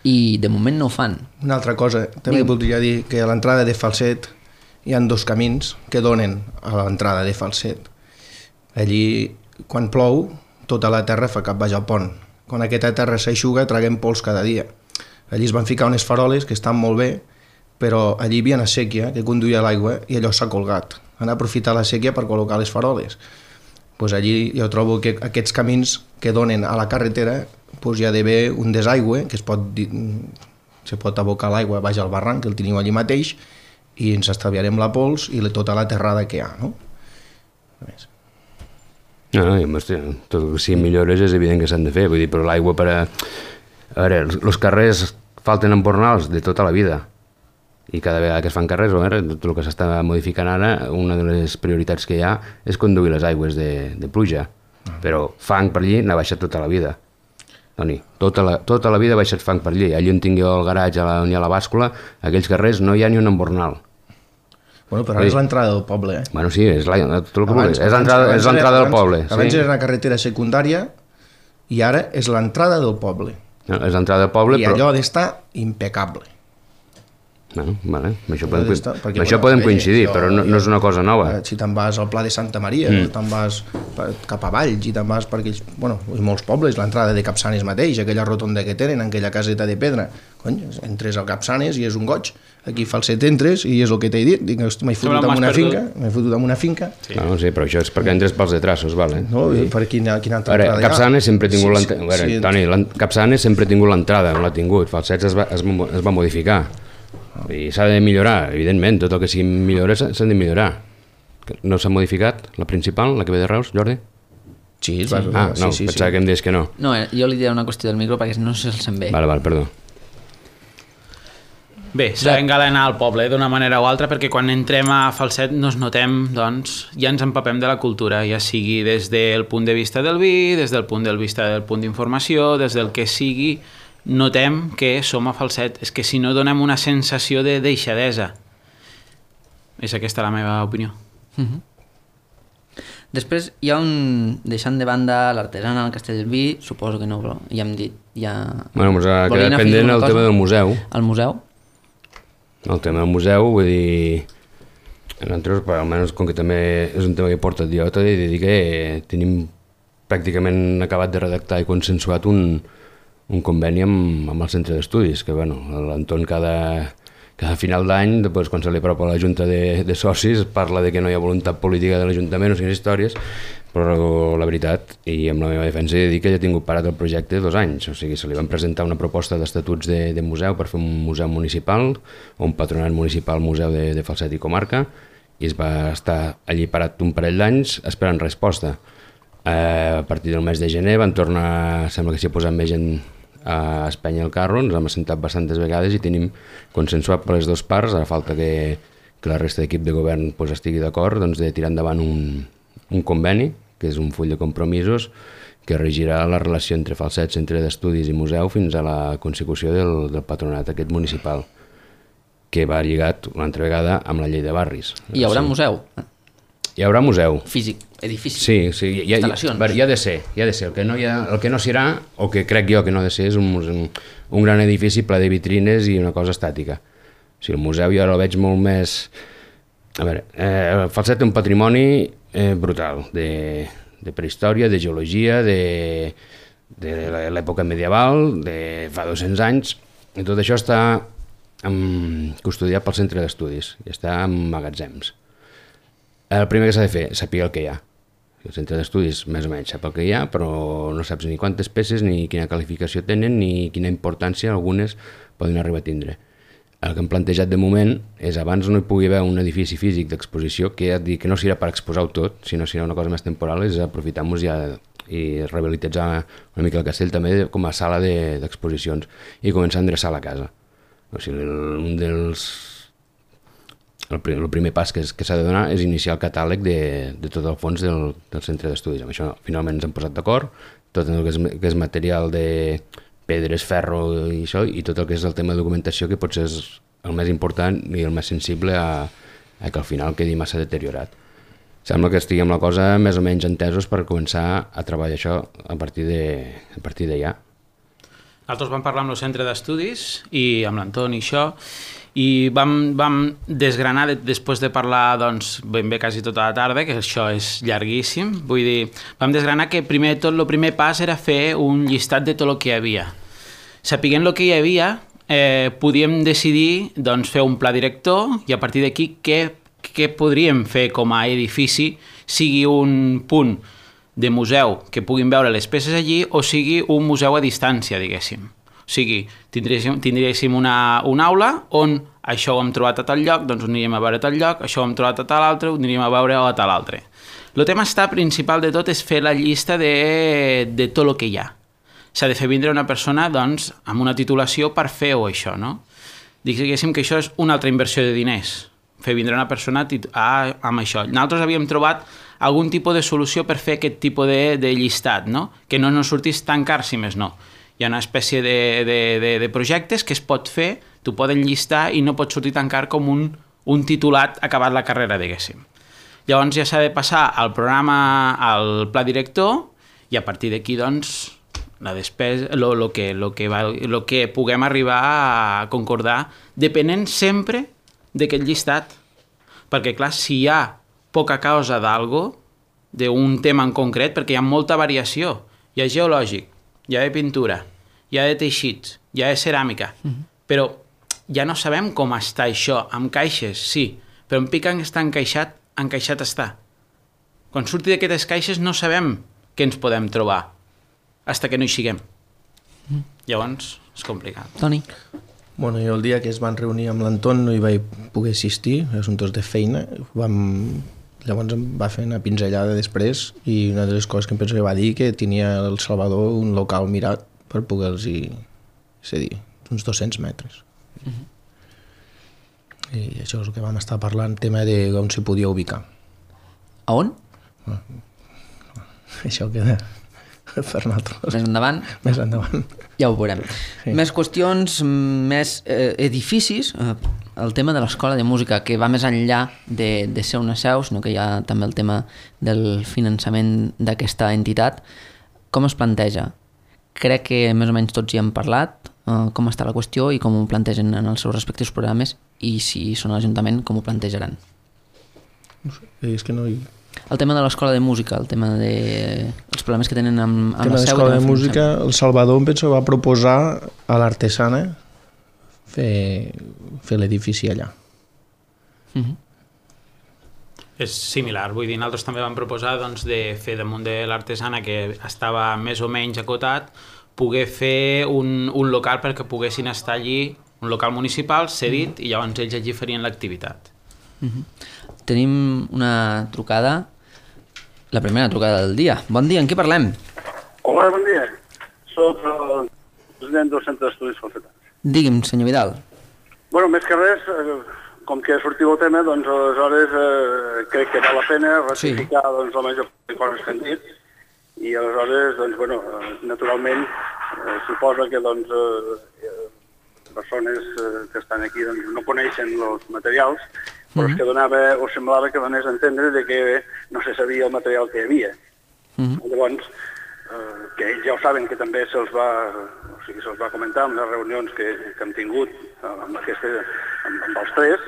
i de moment no ho fan. Una altra cosa, també voldria dir que a l'entrada de Falset hi ha 2 camins que donen a l'entrada de Falset. Allí, quan plou, tota la terra fa cap baix al pont. Quan aquesta terra s'aixuga, traguem pols cada dia. Allí es van ficar unes faroles que estan molt bé, però allí hi havia una sèquia que conduïa l'aigua i allò s'ha colgat. Han aprofitat la sèquia per col·locar les faroles. Pues allí jo trobo que aquests camins que donen a la carretera hi ha d'haver un desaigüe que se pot abocar l'aigua baix al barranc, que el teniu allí mateix, i ens estalviarem la pols i tota la terrada que hi ha. No? Tot que siguin millores és evident que s'han de fer, vull dir, però l'aigua per a... A veure, els carrers falten embornals de tota la vida. I cada vegada que es fan carrers, tot el que s'està modificant ara, una de les prioritats que hi ha és conduir les aigües de pluja. Però fang per allí n'ha baixat tota la vida. Toni, tota la vida ha baixat fang per allí. Allí on tingui el garatge, on hi ha la bàscula, aquells carrers no hi ha ni un embornal. Bueno, però ara és l'entrada del poble, eh? Bueno, sí, és l'entrada del poble. Abans era una carretera secundària i ara és l'entrada del poble. No, és l'entrada del poble, I però... allò ha d'estar impecable. Bueno, vale. Amb això podem coincidir, però no és una cosa nova. Si te'n vas al Pla de Santa Maria, te'n vas cap a Valls i te'n vas per aquells... Bueno, i molts pobles, l'entrada de Capçanes mateix, aquella rotonda que tenen, aquella caseta de pedra. Cony, entres al Capçanes i és un goig. Aquí Falset entres i és el que t'he dit. Dic, m'he fotut amb una finca. Sí. Bueno, sí, però això és perquè entres pels detrassos, vale? No, per quina altra entrada hi ha? Capçanes sempre ha tingut l'entrada. Toni, Capçanes sempre ha tingut l'entrada, no l'ha tingut. Falset es va modificar. I s'ha de millorar, evidentment, tot el que sigui millorar s'ha de millorar. No s'ha modificat la principal, la que ve de Reus, Jordi? Sí, pensava que em deies que no. No, jo li diré una qüestió del micro perquè no se'l sent bé. Vale, perdó. Bé, s'ha d'engalanar al poble d'una manera o altra perquè quan entrem a Falset nos notem, doncs, ja ens empapem de la cultura, ja sigui des del punt de vista del vi, des del punt de vista del punt d'informació, des del que sigui, notem que som a Falset. És que si no donem una sensació de deixadesa. És aquesta la meva opinió. Després hi ha deixant de banda l'artesana, el Castell del Vi, suposo que no, però ja hem dit... Bueno, ens ha quedat pendent el tema del museu. El museu? El tema del museu, vull dir... Nosaltres, almenys, com que també és un tema que porta el dia, t'he de dir que tenim pràcticament acabat de redactar i consensuat un conveni amb el centre d'estudis, que l'Anton cada final d'any, després quan se li apropa a la junta de socis, parla de que no hi ha voluntat política de l'Ajuntament, no siguin històries, però la veritat, i amb la meva defensa he de dir que ja he tingut parat el projecte 2 anys, o sigui, se li van presentar una proposta d'estatuts de museu per fer un museu municipal, o un patronat municipal museu de Falset i comarca, i es va estar allí parat un parell d'anys esperant resposta. A partir del mes de gener van tornar, sembla que s'hi ha posat més gent a Espanya al carro, ens hem assentat bastantes vegades i tenim consensuat per les dues parts, ara falta que la resta d'equip de govern estigui d'acord de tirar endavant un conveni, que és un full de compromisos que regirà la relació entre Falset, centre d'estudis i museu fins a la consecució del patronat aquest municipal, que va lligat una altra vegada amb la llei de barris. Hi haurà museu? Hi haurà museu. Físic, edifici, sí, instal·lacions. Hi ha de ser. El que no serà, o que crec jo que no ha de ser, és un gran edifici ple de vitrines i una cosa estàtica. O sigui, el museu jo ara el veig molt més... A veure, Falset té un patrimoni brutal, de prehistòria, de geologia, de l'època medieval, de fa 200 anys, i tot això està custodiat pel centre d'estudis, i està en magatzems. El primer que s'ha de fer, saber el que hi ha. El centre d'estudis més o menys sap el que hi ha, però no saps ni quantes peces, ni quina qualificació tenen, ni quina importància algunes poden arribar a tindre. El que hem plantejat de moment és, abans no hi pugui haver un edifici físic d'exposició, que ja et dic que no serà per exposar-ho tot, sinó serà una cosa més temporal, és aprofitar-nos ja i rehabilitar una mica el castell també com a sala d'exposicions i començar a endreçar la casa. O sigui, el primer pas que s'ha de donar és iniciar el catàleg de tot el fons del centre d'estudis. Amb això finalment ens hem posat d'acord, tot el que és material de pedres, ferro i això, i tot el que és el tema de documentació, que potser és el més important i el més sensible a que al final quedi massa deteriorat. Sembla que estiguem la cosa més o menys entesos per començar a treballar això a partir d'allà. Nosaltres vam parlar amb el centre d'estudis i amb l'Anton i això, i vam desgranar, després de parlar doncs, ben bé quasi tota la tarda, que això és llarguíssim, vull dir, vam desgranar que primer de tot el primer pas era fer un llistat de tot el que hi havia. Sapiguent el que hi havia, podíem decidir doncs, fer un pla director i a partir d'aquí què podríem fer com a edifici, sigui un punt de museu que puguin veure les peces allí o sigui un museu a distància, diguéssim. O sigui, tindríem una aula on això ho hem trobat a tal lloc, doncs ho aniríem a veure a tal lloc, això ho hem trobat a tal altre, ho aniríem a veure a tal altre. El tema principal de tot és fer la llista de tot el que hi ha. S'ha de fer vindre una persona doncs, amb una titulació per fer-ho això, no? Diguéssim que això és una altra inversió de diners, fer vindre una persona amb això. Nosaltres havíem trobat algun tipus de solució per fer aquest tipus de llistat, no? Que no ens sortís tan car, si més no. Hi ha una espècie de projectes que es pot fer, t'ho poden llistar i no pot sortir tan car com un un titulat acabat la carrera, diguéssim. Llavors ja s'ha de passar al programa, al pla director, i a partir d'aquí, doncs, la despesa, lo que puguem arribar a concordar, depenent sempre d'aquest llistat. Perquè, clar, si hi ha poca causa d'algo, d'un tema en concret, perquè hi ha molta variació. Hi ha geològic, hi ha de pintura, hi ha de teixits, hi ha de ceràmica, però ja no sabem com està això. Amb caixes, sí, però en pica està encaixat està. Quan surti d'aquestes caixes no sabem què ens podem trobar, fins que no hi siguem. Llavors, és complicat. Toni? Bueno, jo el dia que es van reunir amb l'Anton no hi vaig poder assistir, assumptes de feina. Llavors em va fer una pinzellada després i una de les coses que em penso que va dir que tenia el Salvador un local mirat per poder-los cedir, uns 200 metres. I això és el que vam estar parlant, tema de on s'hi podia ubicar. A on? Això queda per nosaltres. Més endavant? Més endavant. Ja ho veurem. Sí. Més qüestions, més edificis, el tema de l'escola de música, que va més enllà de ser una seu, sinó que hi ha també el tema del finançament d'aquesta entitat. Com es planteja? Crec que més o menys tots hi hem parlat, com està la qüestió i com ho plantegen en els seus respectius programes, i si són a l'Ajuntament, com ho plantejaran. No sé, és que no hi... El tema de l'escola de música, el tema els problemes que tenen amb el tema la seu... de l'escola de música, el Salvador em penso que va proposar a l'Artesana fer l'edifici allà. És similar, vull dir, nosaltres també vam proposar doncs, de fer damunt de l'Artesana, que estava més o menys acotat, poder fer un local perquè poguessin estar allí, un local municipal cedit, i llavors ells allí farien l'activitat. Tenim una trucada, la primera trucada del dia. Bon dia, en què parlem? Hola, bon dia. Soc el president del Centre d'Estudis Falsetans. Digui'm, senyor Vidal. Bueno, més que res, com que sortiu el tema, doncs aleshores crec que val la pena ratificar doncs, la major part de coses que han dit, i aleshores, doncs, bueno, naturalment, suposa que doncs, persones que estan aquí doncs, no coneixen els materials, però és que semblava que donés a entendre de que no se sabia el material que hi havia. Llavors, que ells ja ho saben, que també se'ls va comentar en les reunions que hem tingut amb els tres,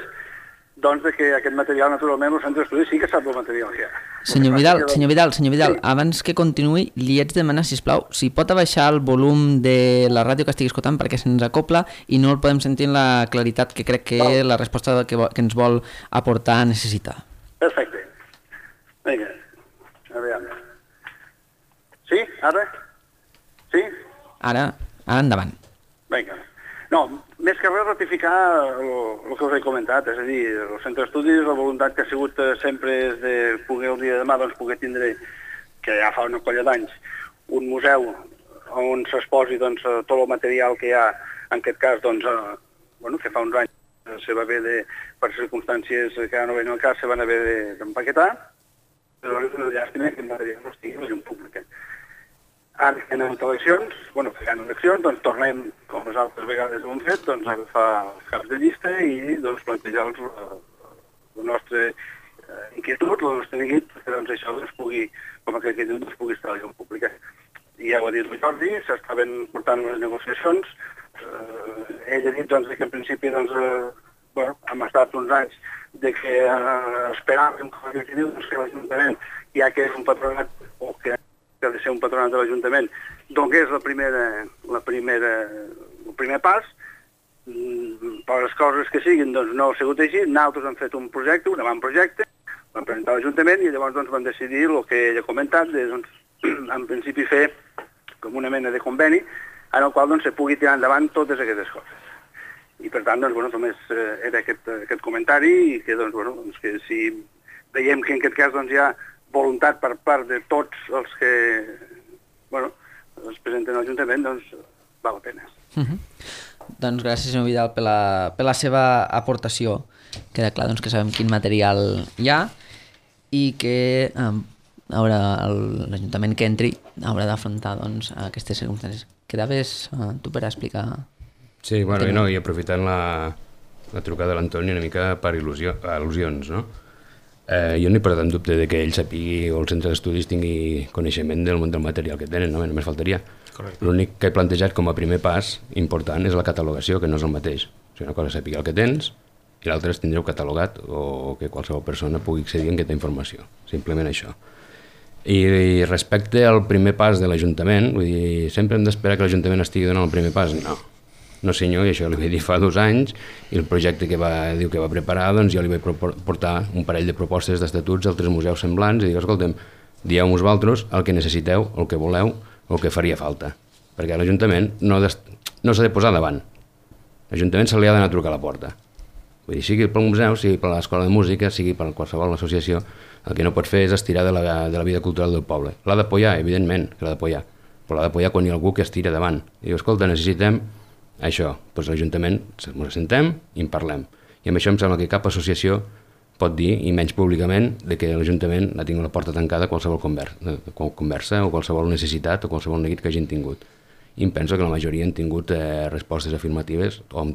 doncs de que aquest material, naturalment, el centre d'estudis sí que sap el material que hi ha. Senyor Vidal, sí. Abans que continuï, li haig de demanar, sisplau, si pot abaixar el volum de la ràdio que estigui escoltant perquè se'ns acopla i no el podem sentir en la claritat que crec que la resposta que ens vol aportar necessita. Perfecte. Vinga, a veure. Sí? Ara? Sí? Ara endavant. Vinga. No, més que res ratificar el que us he comentat, és a dir, el centre d'estudis, la voluntat que ha sigut sempre és de poder el dia de demà doncs, poder tindre, que ja fa una colla d'anys, un museu on s'exposi doncs, tot el material que hi ha, en aquest cas, doncs, que fa uns anys se va haver per circumstàncies que ja no venen al cas, se van haver d'empaquetar, però és una llàstima que el material no estigui a la llum pública. Ara que anem a eleccions, que hi ha eleccions, doncs tornem, com les altres vegades ho hem fet, doncs a agafar els caps de llista i doncs plantejar la nostra inquietud, la nostra neguit, perquè doncs això doncs, pugui, com aquest inquietud, doncs, pugui estar a la llum pública. I ja ho ha dit el Jordi, s'estaven portant les negociacions, ell ha dit doncs, que en principi doncs, hem estat uns anys de que esperàvem com que doncs, que l'Ajuntament, ja que és un patronat o que ha de ser un patronat de l'Ajuntament, donés el primer pas, per les coses que siguin doncs no ha sigut així, nosaltres hem fet un projecte, un avantprojecte, vam presentar a l'Ajuntament i llavors doncs, vam decidir el que ell ha comentat, de, doncs, en principi fer com una mena de conveni en el qual doncs, se pugui tirar endavant totes aquestes coses. I per tant, doncs, només era aquest comentari i que, doncs, que si veiem que en aquest cas doncs, hi ha voluntat per part de tots els que es presenten a l'Ajuntament, doncs val la pena. Doncs gràcies, senyor Vidal, per la seva aportació. Queda clar doncs, que sabem quin material hi ha i que l'Ajuntament que entri haurà d'afrontar doncs, aquestes circumstàncies. Quedaves tu per explicar... Sí, bueno, i aprofitant la trucada de l'Antoni una mica per al·lusions, no? Jo no he posat en dubte de que ell sapigui o el centre d'estudis tingui coneixement del material que tenen, no? Només faltaria. L'únic que he plantejat com a primer pas important és la catalogació, que no és el mateix. O sigui, una cosa és saber el que tens i l'altra és tindreu catalogat o que qualsevol persona pugui accedir en aquesta informació. Simplement això. I respecte al primer pas de l'Ajuntament, vull dir, sempre hem d'esperar que l'Ajuntament estigui donant el primer pas? No. No senyor, i això li vaig dir fa 2 anys, i el projecte que va preparar, doncs jo li vaig portar un parell de propostes d'estatuts a altres museus semblants i dic, escolta'm, dieu-nos vosaltres el que necessiteu, el que voleu, el que faria falta. Perquè l'Ajuntament no s'ha de posar davant. L'Ajuntament se li ha d'anar a trucar a la porta. Vull dir, sigui pel museu, sigui per l'escola de música, sigui per qualsevol associació, el que no pot fer és estirar de la vida cultural del poble. L'ha d'apoyar, evidentment, que l'ha d'apoyar, però l'ha d'apoyar quan hi ha algú que es tira davant. I diu, escolta, necessitem això, doncs l'Ajuntament ens assentem i en parlem. I amb això em sembla que cap associació pot dir, i menys públicament, que l'Ajuntament ha tingut la porta tancada a qualsevol conversa o qualsevol necessitat o qualsevol neguit que hagin tingut. I em penso que la majoria han tingut respostes afirmatives o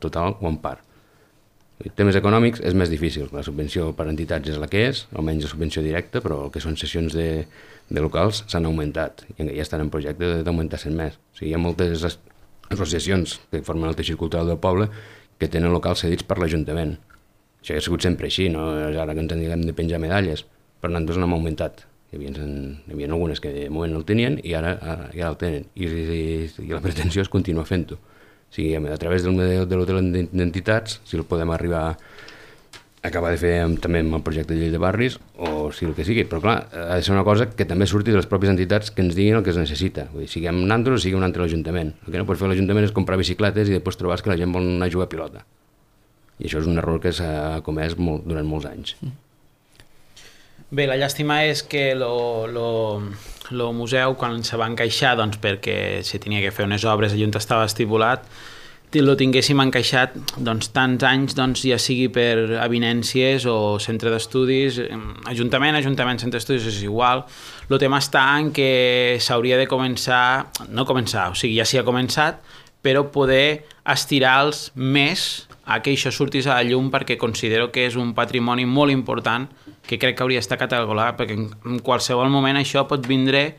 total o en part. Temes econòmics és més difícil. La subvenció per entitats és la que és, almenys la subvenció directa, però el que són sessions de locals s'han augmentat i ja estan en projecte d'augmentar-se'n més. O sigui, hi ha moltes associacions que formen el teixit cultural del poble que tenen locals cedits per l'Ajuntament. Això ha sigut sempre així, no és ara que ens hem de penjar medalles, però nosaltres n'hem augmentat. Hi havia algunes que de moment no el tenien i ara el tenen. I la pretensió és continuar fent-ho. O sigui, a través de l'hotel d'entitats, si el podem arribar a acabar de fer també amb el projecte de llei de barris, o si el que sigui. Però clar, ha de ser una cosa que també surti de les pròpies entitats que ens diguin el que es necessita. Vull dir, siguem nosaltres o sigui un altre l'Ajuntament. El que no pot fer l'Ajuntament és comprar bicicletes i després trobar que la gent vol anar a jugar a pilota. I això és un error que s'ha comès durant molts anys. Bé, la llàstima és que el museu, quan se va encaixar, doncs, perquè se tenia que fer unes obres allà on estava estipulat, lo tinguéssim encaixat tants anys, ja sigui per avinències o centre d'estudis, ajuntament, centre d'estudis és igual. El tema està en que s'hauria de o sigui, ja s'hi ha començat, però poder estirar-los més a que això sortís a la llum, perquè considero que és un patrimoni molt important que crec que hauria d'estar catalogat, perquè en qualsevol moment això pot vindre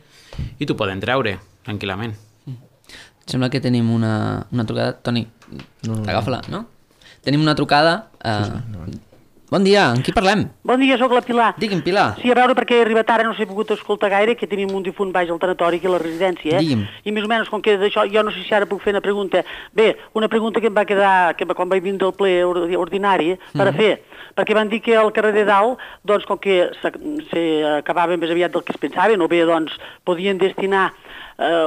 i t'ho poden treure tranquil·lament. Sembla que tenim una trucada. Toni, agafa-la, no? Tenim una trucada. Bon dia, amb qui parlem? Bon dia, sóc la Pilar. Digui'm, Pilar. Sí, a veure, perquè he arribat ara, no s'he pogut escoltar gaire, que tenim un difunt baix al tanatori aquí a la residència. Digui'm. I més o menys, com que d'això, jo no sé si ara puc fer una pregunta. Bé, una pregunta que em va quedar, quan vaig vindre al ple ordinari, per a fer. Perquè van dir que al carrer de Dalt, doncs, com que s'acabava més aviat del que es pensaven, o bé, doncs, podien destinar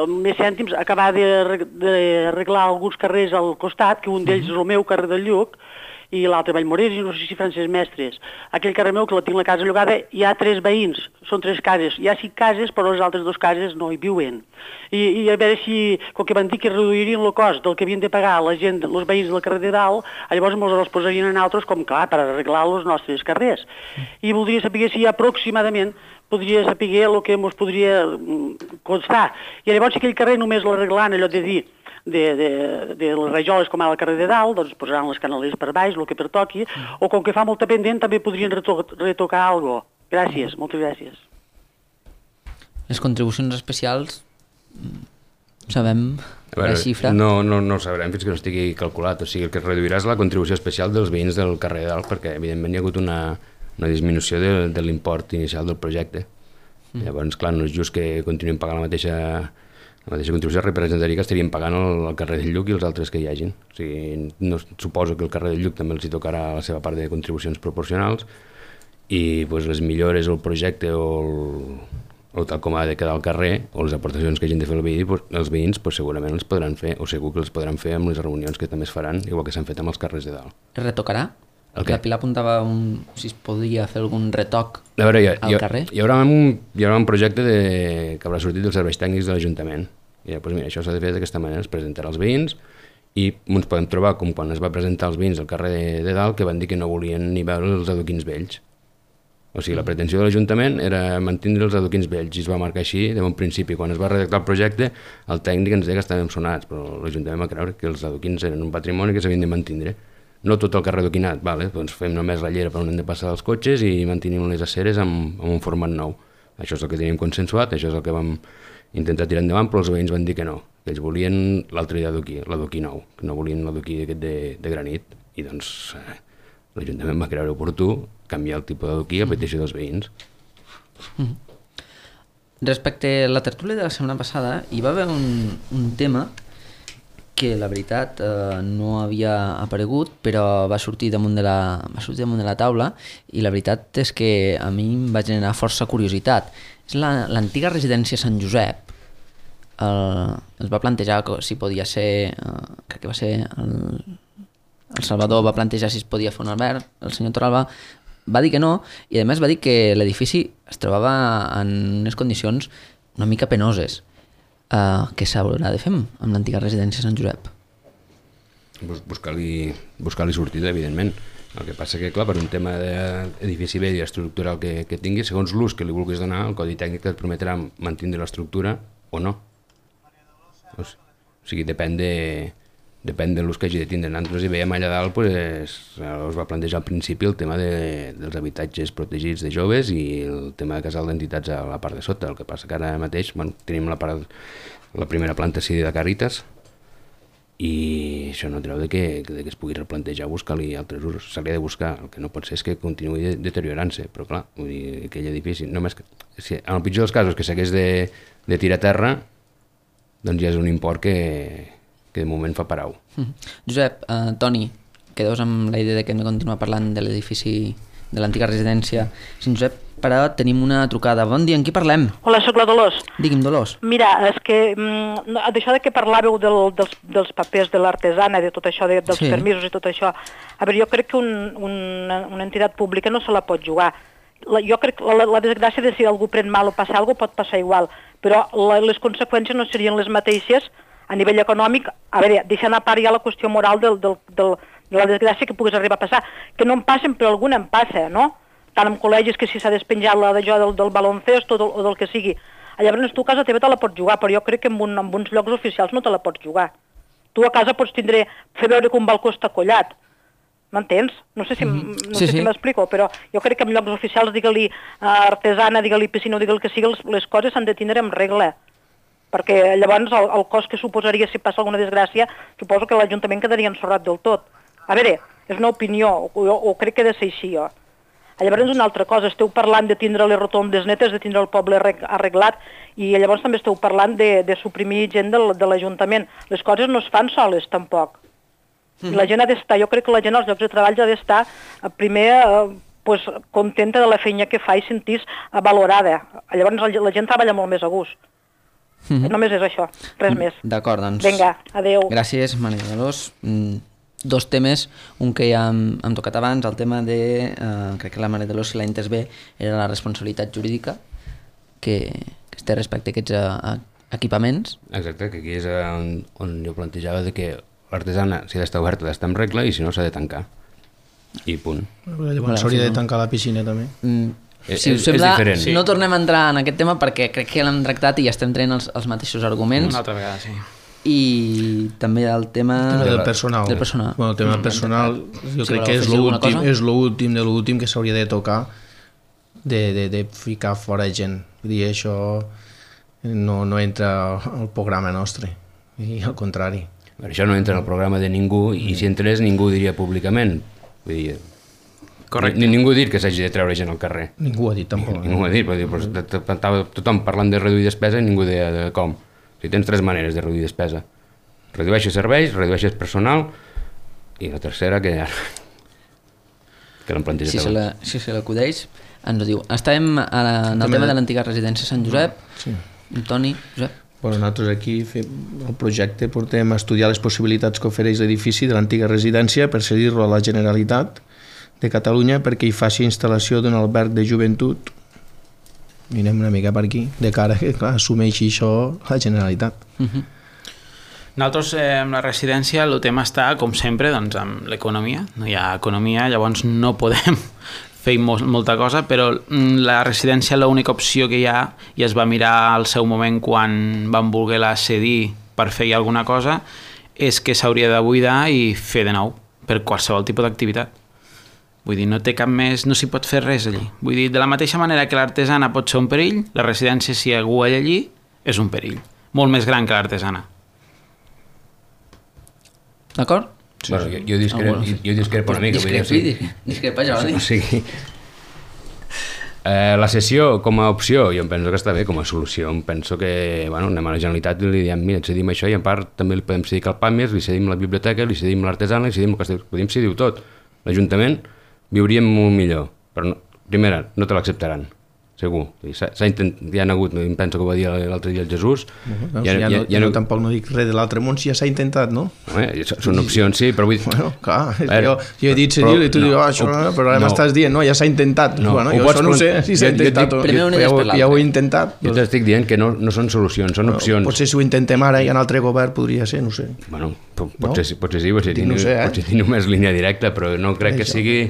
més cèntims, acabar d'arreglar alguns carrers al costat, que un d'ells és el meu, carrer del Lluc, i l'altre Vallmorés, i no sé si Francesc Mestres. Aquell carrer meu, que la tinc la casa llogada, hi ha 3 veïns, són 3 cases. Hi ha 5 cases, però les altres 2 cases no hi viuen. I a veure si, com que van dir que reduirien el cost del que havien de pagar la gent, els veïns del carrer de Dalt, llavors els posarien en altres, com clar, per arreglar els nostres carrers. I voldria saber si aproximadament podria saber el que ens podria constar. I llavors si aquell carrer només l'arreglant, allò de dir, de les rajoles com ara al carrer de Dalt, doncs posaran les canaleres per baix, el que pertoqui, o com que fa molta pendent també podrien retocar alguna cosa. Gràcies, moltes gràcies. Les contribucions especials, sabem la xifra? No ho sabrem fins que no estigui calculat, o sigui, el que es reduirà és la contribució especial dels veïns del carrer de Dalt, perquè evidentment hi ha hagut una disminució de l'import inicial del projecte. Llavors, clar, no és just que continuïn pagant la mateixa contribució, representaria que estarien pagant el carrer del Lluc i els altres que hi hagin. O sigui, suposo que el carrer del Lluc també els hi tocarà la seva part de contribucions proporcionals i les millores o el projecte o tal com ha de quedar al carrer o les aportacions que hagin de fer els veïns segurament els podran fer, o segur que els podran fer amb les reunions que també es faran, igual que s'han fet amb els carrers de Dalt. Es retocarà? La Pilar apuntava si es podria fer algun retoc al carrer. Hi haurà un projecte que haurà sortit dels serveis tècnics de l'Ajuntament. I doncs mira, això s'ha de fer d'aquesta manera, es presentarà als veïns i ens podem trobar com quan es va presentar als veïns al carrer de Dalt, que van dir que no volien ni veure els adoquins vells. O sigui, la pretensió de l'Ajuntament era mantenir els adoquins vells i es va marcar així de bon principi. Quan es va redactar el projecte, el tècnic ens deia que estàvem sonats, però l'Ajuntament va creure que els adoquins eren un patrimoni que s'havien de mantenir. no tot el carrer adoquinat, vale, doncs fem només la llera per on hem de passar els cotxes i mantenim les aceres amb un format nou. Això és el que teníem consensuat, això és el que vam intentar tirar endavant, però els veïns van dir que no, que ells volien l'altre l'adoquí nou, que no volien l'adoquí aquest de granit, i doncs l'Ajuntament va creure oportú canviar el tipus d'adoquí a petició dels veïns. Respecte a la tertúlia de la setmana passada, hi va haver un tema que la veritat no havia aparegut, però va sortir damunt de la taula, i la veritat és que a mi em va generar força curiositat. És l'antiga residència Sant Josep. Es va plantejar si podia ser, crec que va ser el Salvador va plantejar si es podia fer un alberg, el senyor Torralba va dir que no, i a més va dir que l'edifici es trobava en unes condicions una mica penoses. Què s'haurà de fer amb l'antiga residència Sant Josep? Buscar-li sortida, evidentment. El que passa que, clar, per un tema d'edifici vell i estructural que tingui, segons l'ús que li vulguis donar, el Codi Tècnic et permetrà mantenir l'estructura o no. O sigui, depèn de l'ús que hagi de tindre. Nosaltres hi veiem allà dalt, es va plantejar al principi el tema dels habitatges protegits de joves i el tema de casal d'entitats a la part de sota. El que passa que ara mateix tenim la primera planta cedida de Càritas, i això no treu que es pugui replantejar buscar-li altres usos. Se li ha de buscar, el que no pot ser és que continuï deteriorant-se, però clar, vull dir, aquell edifici, només que, en el pitjor dels casos que s'hagués de tirar a terra, doncs ja és un import que de moment fa parau. Josep, Toni, quedeu amb la idea de que hem de continuar parlant de l'edifici de l'antiga residència Sant Josep, però tenim una trucada. Bon dia, amb qui parlem? Hola, soc la Dolors. Digui'm, Dolors. Mira, és que d'això de que parlàveu dels papers de l'artesana, de tot això, dels permisos i tot això, a veure, jo crec que una entitat pública no se la pot jugar. Jo crec que la desgràcia de si algú pren mal o passa alguna cosa pot passar igual, però les conseqüències no serien les mateixes a nivell econòmic. A veure, deixant a part ja la qüestió moral de la desgràcia que puguis arribar a passar, que no em passen, però alguna em passa, no? Tant en col·legis que si s'ha despenjat del baloncesto o del que sigui. Llavors tu a casa teva te la pots jugar, però jo crec que en uns llocs oficials no te la pots jugar. Tu a casa pots fer veure que un balcó està collat. M'entens? No sé si m'explico, però jo crec que en llocs oficials, digue-li artesana, digue-li piscina o digue-li que sigui, les coses s'han de tindre en regla. Perquè llavors el cost que suposaria si passa alguna desgràcia, suposo que l'Ajuntament quedaria ensorrat del tot. A veure, és una opinió, o crec que ha de ser així, jo. Llavors una altra cosa, esteu parlant de tindre les rotondes netes, de tindre el poble arreglat, i llavors també esteu parlant de suprimir gent de l'Ajuntament. Les coses no es fan soles, tampoc. La gent ha d'estar, jo crec que la gent als llocs de treball ha d'estar primer contenta de la feina que fa i sentir-se valorada. Llavors la gent treballa molt més a gust. Només és això, res més. D'acord, doncs. Vinga, adeu. Gràcies, Maria Dolors. Dos temes, un que ja hem tocat abans, el tema de, crec que la Maria Dolors, si l'ha entès bé, era la responsabilitat jurídica que es té respecte a aquests equipaments. Exacte, que aquí és on jo plantejava de que l'artesana, si ha d'estar oberta, ha d'estar en regla, i si no, s'ha de tancar. I punt. Llavors s'hauria de tancar la piscina, també. Si us sembla, no tornem a entrar en aquest tema perquè crec que l'hem tractat i ja estem traient els mateixos arguments. Una altra vegada, sí. I també el tema del personal. Bueno, el tema del personal jo crec que és l'últim de l'últim que s'hauria de tocar, de ficar fora gent. Vull dir, això no entra al programa nostre, i al contrari. Això no entra al programa de ningú, i si entrés ningú ho diria públicament. Vull dir, ningú ha dit que s'hagi de treure gent al carrer. Ningú ho ha dit, tampoc. Ningú ho ha dit, però tothom parlant de reduir despesa i ningú deia de com. Si tens tres maneres de reduir despesa: redueixes serveis, redueixes personal, i la tercera que l'han plantejat. Si se l'acudeix, ens ho diu. Estàvem en el tema de l'antiga residència Sant Josep. Toni, Josep. Nosaltres aquí el projecte portem a estudiar les possibilitats que ofereix l'edifici de l'antiga residència per cedir-lo a la Generalitat de Catalunya perquè hi faci instal·lació d'un alberg de joventut. Mirem una mica per aquí, de cara que assumeixi això la Generalitat. Nosaltres, amb la residència, el tema està, com sempre, doncs, amb l'economia. No hi ha economia, llavors no podem fer molta cosa, però la residència, l'única opció que hi ha, i es va mirar al seu moment quan van voler-la cedir per fer alguna cosa, és que s'hauria de buidar i fer de nou, per qualsevol tipus d'activitat. Vull dir, no té cap més, no s'hi pot fer res allí. Vull dir, de la mateixa manera que l'artesana pot ser un perill, la residència, si algú hi allí, és un perill. Molt més gran que l'artesana. D'acord? Sí, bueno, jo discrepo una mica. Discrepa, Jordi. O sigui, la sessió com a opció, jo em penso que està bé, com a solució. Em penso que, bueno, anem a la Generalitat i li diem, mira, et cedim això i en part també li podem cedir al PAMES, li cedim la biblioteca, li cedim l'artesana, li cedim el que podem cedir tot. L'Ajuntament viuríem molt millor, però no, primera, no te l'acceptaran, segur. S'ha intentat, ja han hagut, em penso que ho va dir l'altre dia el Jesús. Tampoc no dic res de l'altre món, si ja s'ha intentat, no? Són opcions, sí, però vull dir... Bueno, clar, jo he dit cedir i tu dius, això, però ara m'estàs dient, no, ja s'ha intentat. Bueno, jo això no sé si s'ha intentat o ja ho he intentat. Jo t'estic dient que no són solucions, són opcions. Potser si ho intentem ara i en altre govern podria ser, no sé. Bueno, potser sí, potser tinc només línia directa, però no crec que sigui...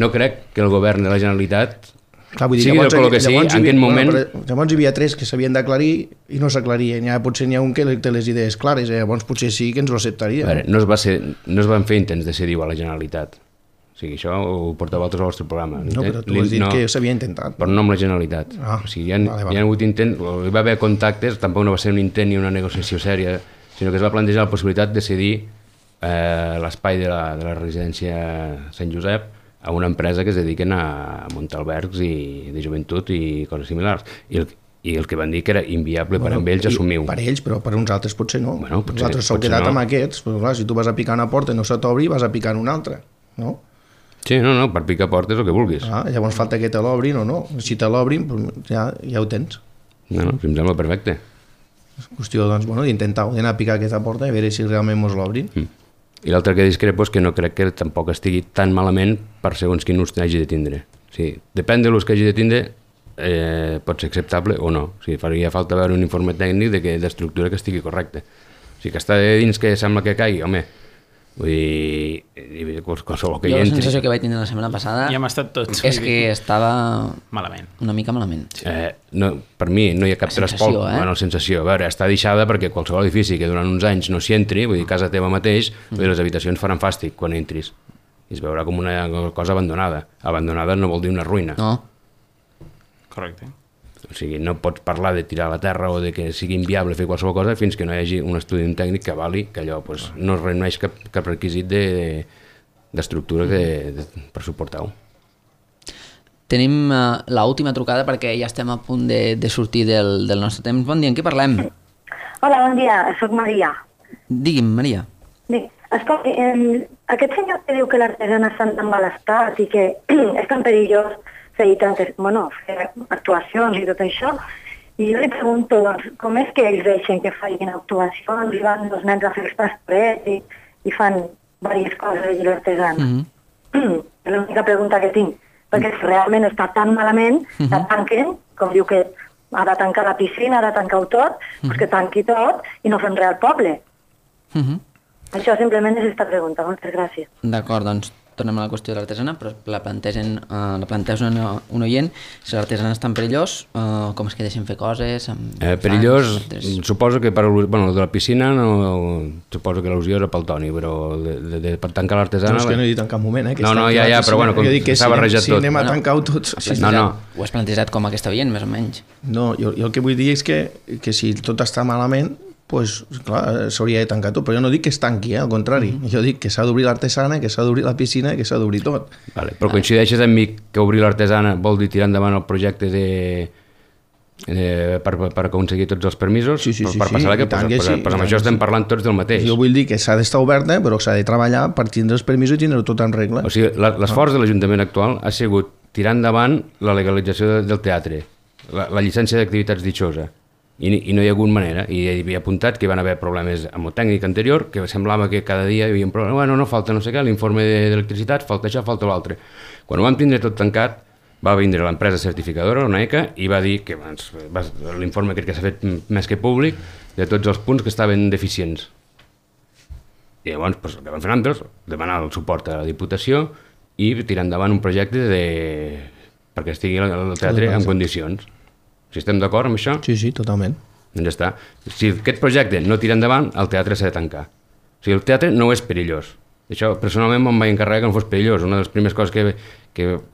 No crec que el govern de la Generalitat... Clar, vull dir, sigui del color que sigui, en aquest moment... Llavors hi havia 3 que s'havien d'aclarir i no s'aclarien. Potser n'hi ha un que té les idees clares, llavors potser sí que ens ho acceptaria. Veure, no es van fer intents de cedir a la Generalitat. O sigui, això ho porteu altres al vostre programa. No, però tu has dit que s'havia intentat. Però no amb la Generalitat. O sigui, hi ha hagut intents, hi va haver contactes, tampoc no va ser un intent ni una negociació sèria, sinó que es va plantejar la possibilitat de cedir l'espai de la residència Sant Josep a una empresa que es dediquen a muntar albergs de joventut i coses similars. I el que van dir que era inviable per amb ells assumir-ho. Per ells, però per uns altres potser no. Nosaltres s'ho quedat amb aquests, però clar, si tu vas a picar una porta i no se t'obri, vas a picar en una altra, no? Sí, no, per picar portes el que vulguis. Llavors falta que te l'obrin o no. Si te l'obrin, ja ho tens. No, em sembla perfecte. És qüestió, doncs, d'intentar d'anar a picar aquesta porta i veure si realment mos l'obrin. I l'altre que discrepo és que no crec que tampoc estigui tan malament per segons quin ús hagi de tindre. O sigui, depèn de l'ús que hagi de tindre, pot ser acceptable o no. O sigui, faria falta veure un informe tècnic d'estructura que estigui correcte. O sigui, que està dins que sembla que caigui, home, vull dir, qualsevol que hi entri... Jo la sensació que vaig tindre la setmana passada ja hem estat tots, és que estava malament. Una mica malament. No, per mi no hi ha cap transport. Bueno, sensació. A veure, està deixada perquè qualsevol edifici que durant uns anys no s'hi entri, vull dir, casa teva mateix, les habitacions faran fàstic quan entris. I es veurà com una cosa abandonada. Abandonada no vol dir una ruïna. No. Correcte. O sigui, no pots parlar de tirar a la terra o de que sigui inviable fer qualsevol cosa fins que no hi hagi un estudi tècnic que avali que allò no es reuneix cap requisit d'estructura per suportar-ho. Tenim l'última trucada perquè ja estem a punt de sortir del nostre temps. Bon dia, en què parlem? Hola, bon dia, soc Maria. Digui'm, Maria. Bé, escolta, aquest senyor que diu que l'artesana està en mal estat i que és tan perillós fer actuacions i tot això, i jo li pregunto, doncs, com és que ells deixen que facin actuacions i van els nens a fer els pastorets i fan diverses coses i l'artesana? És l'única pregunta que tinc, perquè si realment està tan malament, la tanquen, com diu que ha de tancar la piscina, ha de tancar-ho tot, doncs que tanqui tot i no fem res al poble. Això simplement és aquesta pregunta, moltes gràcies. D'acord, doncs tornem a la qüestió de l'artesana, però la planteja un oient. Si l'artesana és tan perillós, com és que deixen fer coses? Perillós, suposo que per de la piscina, suposo que l'al·lusió era pel Toni, però per tancar l'artesana... No, és que no he dit en cap moment, No, ja, però bueno, com s'ha barrejat tot. Si anem a tancar-ho tots... Ho has plantejat com aquesta veient, més o menys? No, jo el que vull dir és que si tot està malament, doncs, clar, s'hauria de tancar tot, però jo no dic que es tanqui, al contrari. Jo dic que s'ha d'obrir l'artesana, que s'ha d'obrir la piscina i que s'ha d'obrir tot. Vale, però coincideixes amb mi que obrir l'artesana vol dir tirar endavant el projecte per aconseguir tots els permisos? Sí, per passar amb això estem parlant tots del mateix. Jo vull dir que s'ha d'estar oberta, però s'ha de treballar per tindre els permisos i tindre tot en regla. O sigui, l'esforç de l'Ajuntament actual ha sigut tirar endavant la legalització del teatre, la llicència d'activitats ditxosa, i no hi ha hagut manera, i hi havia apuntat que hi van haver problemes amb el tècnic anterior, que semblava que cada dia hi havia un problema, bueno, no falta no sé què, l'informe d'electricitat, falta això, falta l'altre. Quan ho vam tindre tot tancat, va vindre l'empresa certificadora, una ECA, i va dir que l'informe crec que s'ha fet més que públic, de tots els punts que estaven deficients. I llavors, el que van fer nosaltres, demanar el suport a la Diputació i tirar endavant un projecte perquè estigui el teatre en condicions. Si estem d'acord amb això? Sí, totalment. Doncs ja està. Si aquest projecte no tira endavant, el teatre s'ha de tancar. O sigui, el teatre no és perillós. Això, personalment, me'n vaig encarregar que no fos perillós. Una de les primeres coses que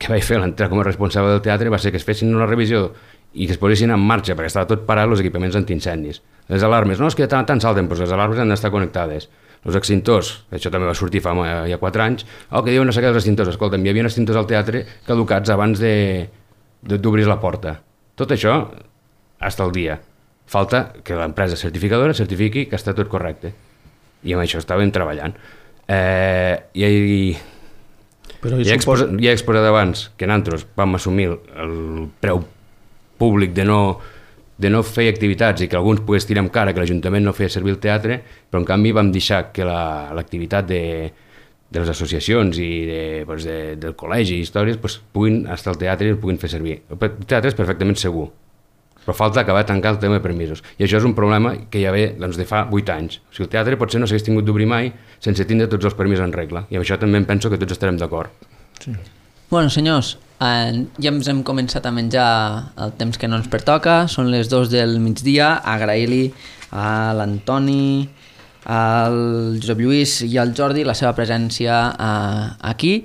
vaig fer a l'entrar com a responsable del teatre va ser que es fessin una revisió i que es posessin en marxa, perquè estava tot parat, els equipaments antiincendis. Les alarmes, no, és que tant salten, però les alarmes han d'estar connectades. Els extintors, això també va sortir fa ja 4 anys, que diuen no sé què dels extintors. Escolta'm, hi havia extintors al teatre caducats abans d'obrir la porta. Tot això, hasta el dia. Falta que l'empresa certificadora certifiqui que està tot correcte. I amb això estàvem treballant. Ja he exposat abans que nosaltres vam assumir el preu públic de no fer activitats i que alguns pogués tirar amb cara que l'Ajuntament no feia servir el teatre, però en canvi vam deixar que l'activitat de les associacions i del col·legi i històries puguin estar al teatre i el puguin fer servir. El teatre és perfectament segur, però falta acabar de tancar el tema de permisos. I això és un problema que ja ve de fa 8 anys. O sigui, el teatre potser no s'hagués tingut d'obrir mai sense tindre tots els permisos en regla. I amb això també em penso que tots estarem d'acord. Sí. Bueno, senyors, ja ens hem començat a menjar el temps que no ens pertoca, són les 2 del migdia. Agrair-li a l'Antoni, al Josep Lluís i al Jordi la seva presència aquí.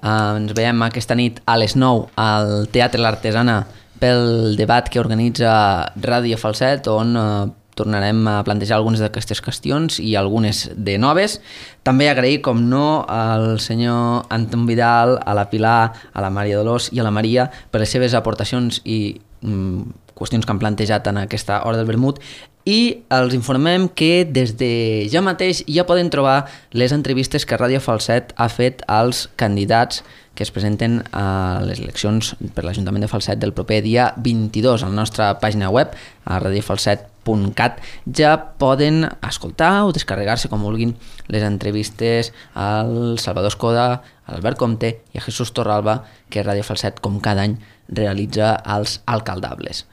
Ens veiem aquesta nit a les 9 al Teatre l'Artesana pel debat que organitza Ràdio Falset, on tornarem a plantejar algunes d'aquestes qüestions i algunes de noves. També agrair, com no, al senyor Anton Vidal, a la Pilar, a la Maria Dolors i a la Maria per les seves aportacions i qüestions que han plantejat en aquesta hora del vermut, i els informem que des de ja mateix ja poden trobar les entrevistes que Ràdio Falset ha fet als candidats que es presenten a les eleccions per l'Ajuntament de Falset del proper dia 22. A la nostra pàgina web, a radiofalset.cat, ja poden escoltar o descarregar-se, com vulguin, les entrevistes al Salvador Escoda, a l'Albert Comte i a Jesús Torralba, que Ràdio Falset, com cada any, realitza als Alcaldables.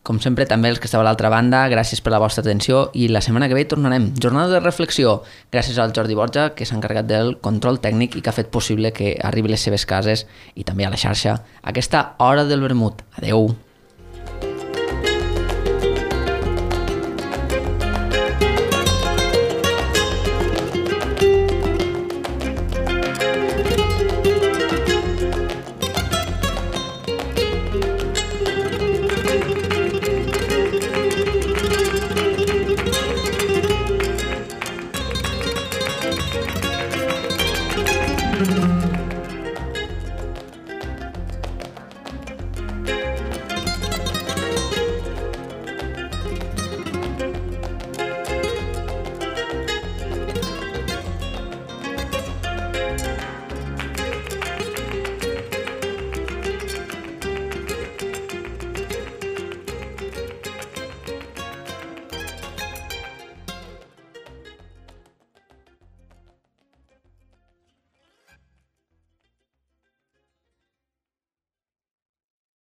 Com sempre, també els que esteu a l'altra banda, gràcies per la vostra atenció i la setmana que ve tornarem. Jornada de reflexió, gràcies al Jordi Borja, que s'ha encarregat del control tècnic i que ha fet possible que arribi a les seves cases i també a la xarxa aquesta hora del vermut. Adeu!